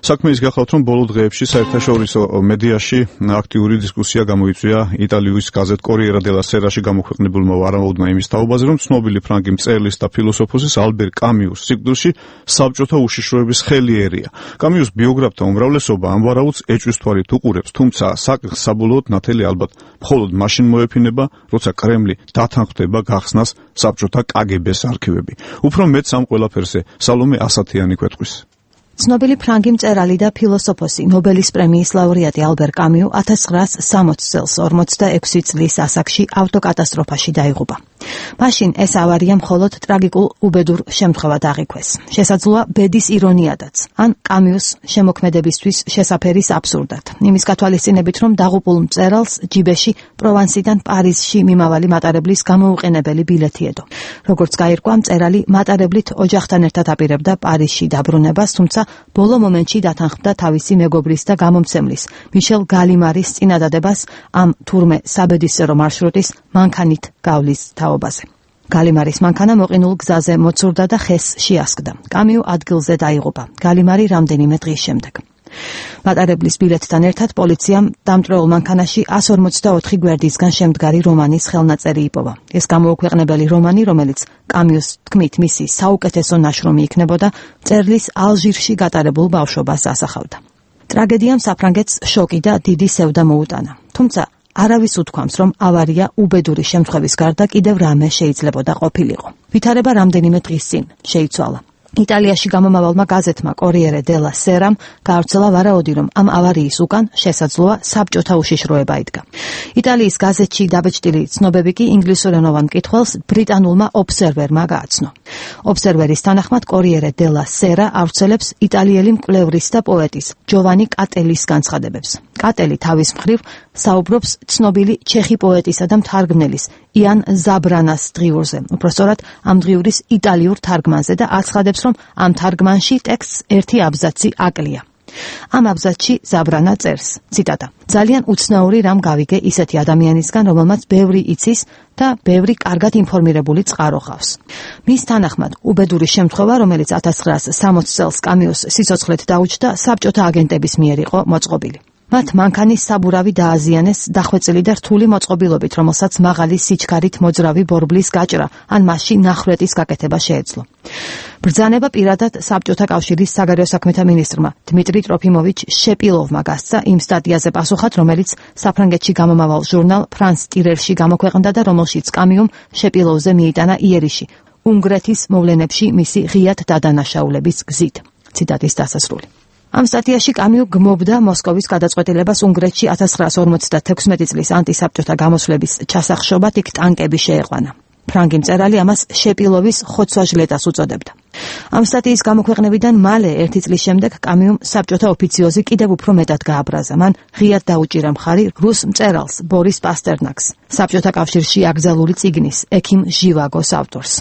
Speaker 1: საქმე ის გახლავთ, რომ ბოლო დღეებში საერთაშორისო მედიაში აქტიური დისკუსია გამოიწვია იტალიის გაზეთ კორიერა დელა სერაში გამოქვეყნებულმა ვარაუდმა იმის თაობაზე, რომ ცნობილი ფრანგი მწერლის და ფილოსოფოსის ალბერ კამიუს სიკვდილში საბჭოთა უშიშროების ხელი ერია. კამიუს ბიოგრაფთა უმრავლესობა ამ ვარაუდს ეჭვის თვალით უყურებს, თუმცა საკითხს საბოლოოდ ნათელი ალბათ მხოლოდ მაშინ მოეფინება, როცა კრემლი დათანხმდება გახსნას საბჭოთა კაგ-ბეს არქივები. უფრო მეტს ამ ყველაფერზე სალომე ასათიანი გვეტყვის.
Speaker 5: ცნობილი ფრანგი მწერალი და ფილოსოფოსი, ნობელის პრემიის ლაურეატი ალბერ კამიუ ათას ცხრაასი სამოცი წელს ორმოცდაექვსი წლის ასაკში ავტოკატასტროფაში დაიღუპა. მაშინ ეს ავარია მხოლოდ ტრაგიკულ უბედურ შემთხვევად აღიქვეს. შესაძლოა ბედის ირონიადაც, ან კამიუს შემოქმედებისთვის შესაფერის აბსურდად. იმის გათვალისწინებით, რომ დაღუპულ მწერალს ჯიბეში პროვანსიდან პარიზში მიმავალი მატარებლის გამოუყენებელი ბილეთი ედო. როგორც გაირკვა, მწერალი მატარებლით ოჯახთან ერთად აპირებდა პარიზში დაბრუნებას, თუმცა ბოლო მომენტში დათანხმდა თავისი მეგობრის და გამომცემლის მიშელ გალიმარის წინადადებას ამ თურმე საბედისწერო მარშრუტის მანქანით გავლის თაობაზე. გალიმარის მანქანა მოყინულ გზაზე მოცურდა და ხეს შეასკდა. კამიუ ადგილზე დაიღუპა. გალიმარი რამდენიმე დღის შემდეგ. მატარებლის ბილეთთან ერთად პოლიციამ დამტვრეულ მანქანაში εκατს ორმოცდაოთხი გვერდისგან შემდგარი რომანის ხელნაწერი იპოვა. ეს გამოუქვეყნებელი რომანი, რომელიც კამიუს თქმით მისი საუკეთესო ნაშრომი იქნებოდა, მწერლის ალჟირში გატარებულ ბავშვობას ასახავდა. ტრაგედიამ საფრანგეთს შოკი და დიდი სევდა მოუტანა. თუმცა არავის უთქვამს, რომ ავარია უბედური შემთხვევის გარდა კიდევ რამე შეიძლებოდა ყოფილიყო. ვითარება რამდენიმე დღის წინ შეიცვალა. იტალიაში გამომავალმა გაზეთმა კორიერე დელა სერამ გავრცელა ვარაუდი, რომ ამ ავარიის უკან შესაძლოა საბჭოთა უშიშროება იდგა. იტალიის გაზეთში დაბეჭდილი ცნობები კი ინგლისურენოვან მკითხველს ბრიტანულმა ობსერვერმა გააცნო. ობსერვერის თანახმად კორიერე დელა სერა ავრცელებს იტალიელი მკვლევრის და პოეტის ჯოვანი კატელის განცხადებებს. კატელი თავის მხრივ საუბრობს ცნობილი ჩეხი პოეტისა და მთარგმნელის იან ზაბრანას დღიურზე, უпростоრად ამ დღიურის იტალიურ თარგმანზე და აცხადებს, რომ ამ თარგმანში ტექსტს ერთი აბზაცი აკლია. ამ აბზაცში ზაბრანა წერს, ციტატა: ძალიან უცნაური რამ გავიგე ისეთი ადამიანისგან, რომელმაც ბევრი იცის და ბევრი კარგად ინფორმირებული წყარო ყავს. მის თანახმად, უბედური შემთხვევა, რომელიც ათას ცხრაასი სამოცი წელს კამიუს სიცოცხლეთ დაუჯდა, საბჭოთა აგენტების მიერ იყო მოწყობილი. მათ მანქანის საბურავი დააზიანეს დახვეწილი და რთული მოწყობილობით, რომელსაც მაღალი სიჩქარით მოძრავი ბორბლის გაჭრა ან მასში ნახრეტის გაკეთება შეეძლო. ბრძანება პირადად საბჭოთა კავშირის საგარეო საქმეთა მინისტრმა დმიტრი ტროფიმოვიჩ შეპილოვმა გასცა იმ სტატიაზე პასუხად, რომელიც საფრანგეთში გამომავალ ჟურნალ ფრანს ტირერში გამოქვეყნდა და რომელშიც კამიუმ შეპილოვზე მიიტანა იერიში უნგრეთის მოვლენებში მისი ღიად დადანაშაულების გზით. ციტატის დასასრული. ამ სტატიაში კამიუ გმობდა მოსკოვის გადაწყვეტილებას უნგრეთში ათას ცხრაასი ორმოცდათექვსმეტი წლის ანტისაბჭოთა გამოსვლების ჩასახშობად იქ ტანკები შეეყვანა. ფრანგი მწერალი ამას შეპილოვის ხოცვა-ჟლეტას უწოდებდა. ამ სტატიის გამოქვეყნებიდან მალე ერთი წლის შემდეგ კამიუმ საბჭოთა ოფიციოზი კიდევ უფრო მეტად გააბრაზა. მან ღიად დაუჭირა მხარი რუს მწერალს ბორის პასტერნაკს, საბჭოთა კავშირში აკრძალული წიგნის ექიმ ჟივაგოს ავტორს.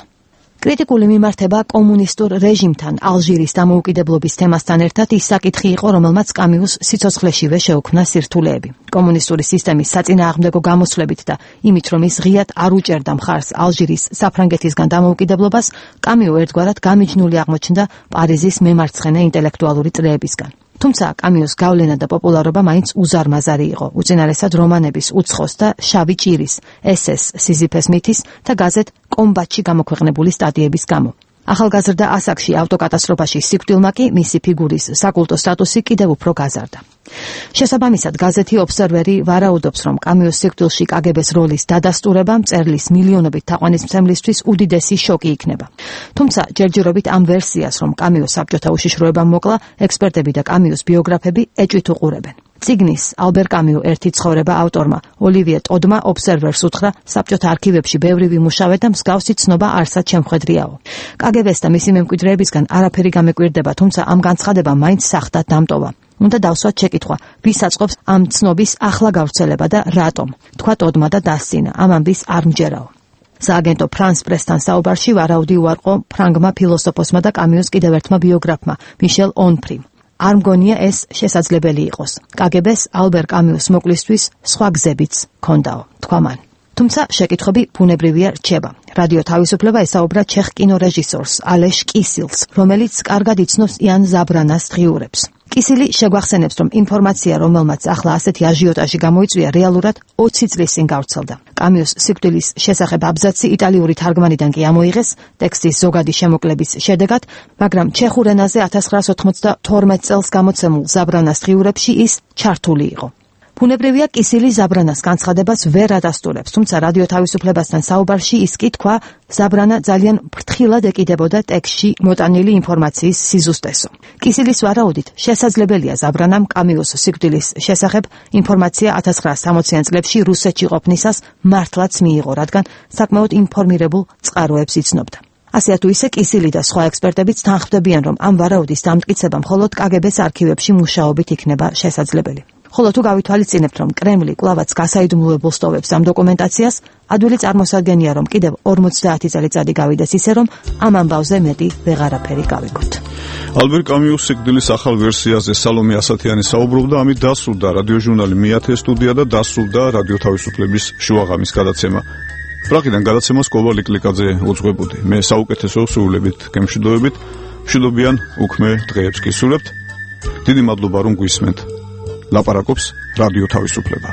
Speaker 5: კრიტიკული მიმართება კომუნისტურ რეჟიმთან ალჟირის დამოუკიდებლობის თემასთან ერთად ის საკითხი იყო, რომელმაც კამიუს სიცოცხლეშივე შეუქმნა სირთულეები. კომუნისტური სისტემის საწინააღმდეგო გამოსვლებით და იმით, რომ ის ღიად არ უჭერდა მხარს ალჟირის საფრანგეთისგან დამოუკიდებლობას, კამიუ ერთგვარად გამიჯნული აღმოჩნდა პარიზის მემარცხენე ინტელექტუალური წრეებისგან. თუმცა კამიუს გავლენა და პოპულარობა მაინც უზარმაზარი იყო, უწინარესად რომანების უცხოს და შავი ჭირის, ესეს სიზიფეს მითის და გაზეთ კომბატში გამოქვეყნებული სტატიების გამო. ახალგაზრდა ასაკში ავტოკატასტროფაში სიკვდილმა კი მისი ფიგურის საკულტო სტატუსი კიდევ უფრო გაზარდა. შესაბამისად, გაზეთი ობსერვერი ვარაუდობს, რომ კამიუს სიკვდილში კაგებეს როლის დადასტურება მწერლის მილიონობით თაყვანისმცემლისთვის უდიდესი შოკი იქნება. თუმცა ჯერჯერობით ამ ვერსიას, რომ კამიუს საბჭოთა უშიშროებამ მოკლა, ექსპერტები და კამიუს ბიოგრაფები ეჭვით უყურებენ. ციგნის ალბერ კამიუ ერთი ცხოვრება ავტორმა ოლივიე ტოდმა ობსერვერს უთხრა, საბჭოთა არქივებში ბევრი ვიმუშავე და მსგავსი ცნობა არსად შემხედრიაო. კაგებეს და მისი მემკვიდრეებისგან არაფერი გამეკვირდება, თუმცა ამ განცხადებამ მაინც სახდად დამტოვა. უნდა დავსვათ შეკითხვა, ვის აწყობს ამ ცნობის ახლა გავრცელება და რატომ? თქვა ტოდმა და დასცინა, ამ ამბის არ მჯერაო. სააგენტო ფრანს პრესთან საუბარში ვარაუდი უარყო ფრანგმა ფილოსოფოსმა და კამიუს კიდევ ერთმა ბიოგრაფმა მიშელ ონფრიმ. არ მგონია ეს შესაძლებელი იყოს. კაგებეს ალბერ კამიუს მოკლისთვის სხვა გზებიც ჰქონდაო, თქვა მან. თუმცა შეკითხვები ბუნებრივია რჩება. რადიო თავისუფლება ესაუბრა ჩეხ კინორეჟისორს ალეშ კისილს, რომელიც კარგად იცნობს იან ზაბრანას დღიურებს. კისილი შეგვახსენებს, რომ ინფორმაცია, რომელმაც ახლა ასეთი აჟიოტაჟი გამოიწვია, რეალურად ოცი წლის წინ გავრცელდა. კამიუს სიკვდილის შესახებ აბზაცი იტალიური თარგმანიდან კი ამოიღეს ტექსტის ზოგადი შემოკლების შედეგად, მაგრამ ჩეხურ ენაზე ათას ცხრაასი ოთხმოცდათორმეტ წელს გამოცემულ ზაბრანას დღიურებში ის ჩართული იყო. ბუნებრივია კისილი ზაბრანას განცხადებას ვერ ადასტურებს, თუმცა რადიო თავისუფლებასთან საუბარში ის კი თქვა, ზაბრანა ძალიან ფრთხილად ეკიდებოდა ტექსტში მოტანილი ინფორმაციის სიზუსტესო. კისილის ვარაუდით, შესაძლებელია ზაბრანამ კამიუს სიკვდილის შესახებ ინფორმაცია ათას ცხრაასი სამოციან წლებში რუსეთში ყოფნისას მართლაც მიიღო, რადგან საკმაოდ ინფორმირებულ წყაროებს იცნობდა. ასე თუ ისე კისილი და სხვა ექსპერტებიც თანხმდებიან, რომ ამ ვარაუდის დამტკიცება მხოლოდ კაგებეს არქივებში მუშაობით იქნება შესაძლებელი. ხოლო თუ გავითვალისწინებთ, რომ კრემლი კვლავაც გასაიდუმლოებულ სტოვებს ამ დოკუმენტაციას, ადვილი წარმოსადგენია, რომ კიდევ ორმოცდაათი წელიწადი გავიდეს ისე, რომ ამ ამბავზე მეტი ვეღარაფერი გავიგოთ.
Speaker 1: ალბერ კამიუს სიკვდილის ახალ ვერსიაზე სალომე ასათიანი საუბრობდა, ამით დასრულდა რადიოჟურნალი მეათე სტუდია და დასრულდა რადიო თავისუფლების შუაღამის გადაცემა. პრაღიდან გადაცემას კოვალ ლიკლიკაძე უძღვებოდი. მე საუკეთესო სულებით გემშვიდობებით, მშვიდობიან უქმე დღეებს გისურვებთ. დიდი მადლობა რომ გვისმენთ. ლაპარაკობს რადიო თავისუფლება.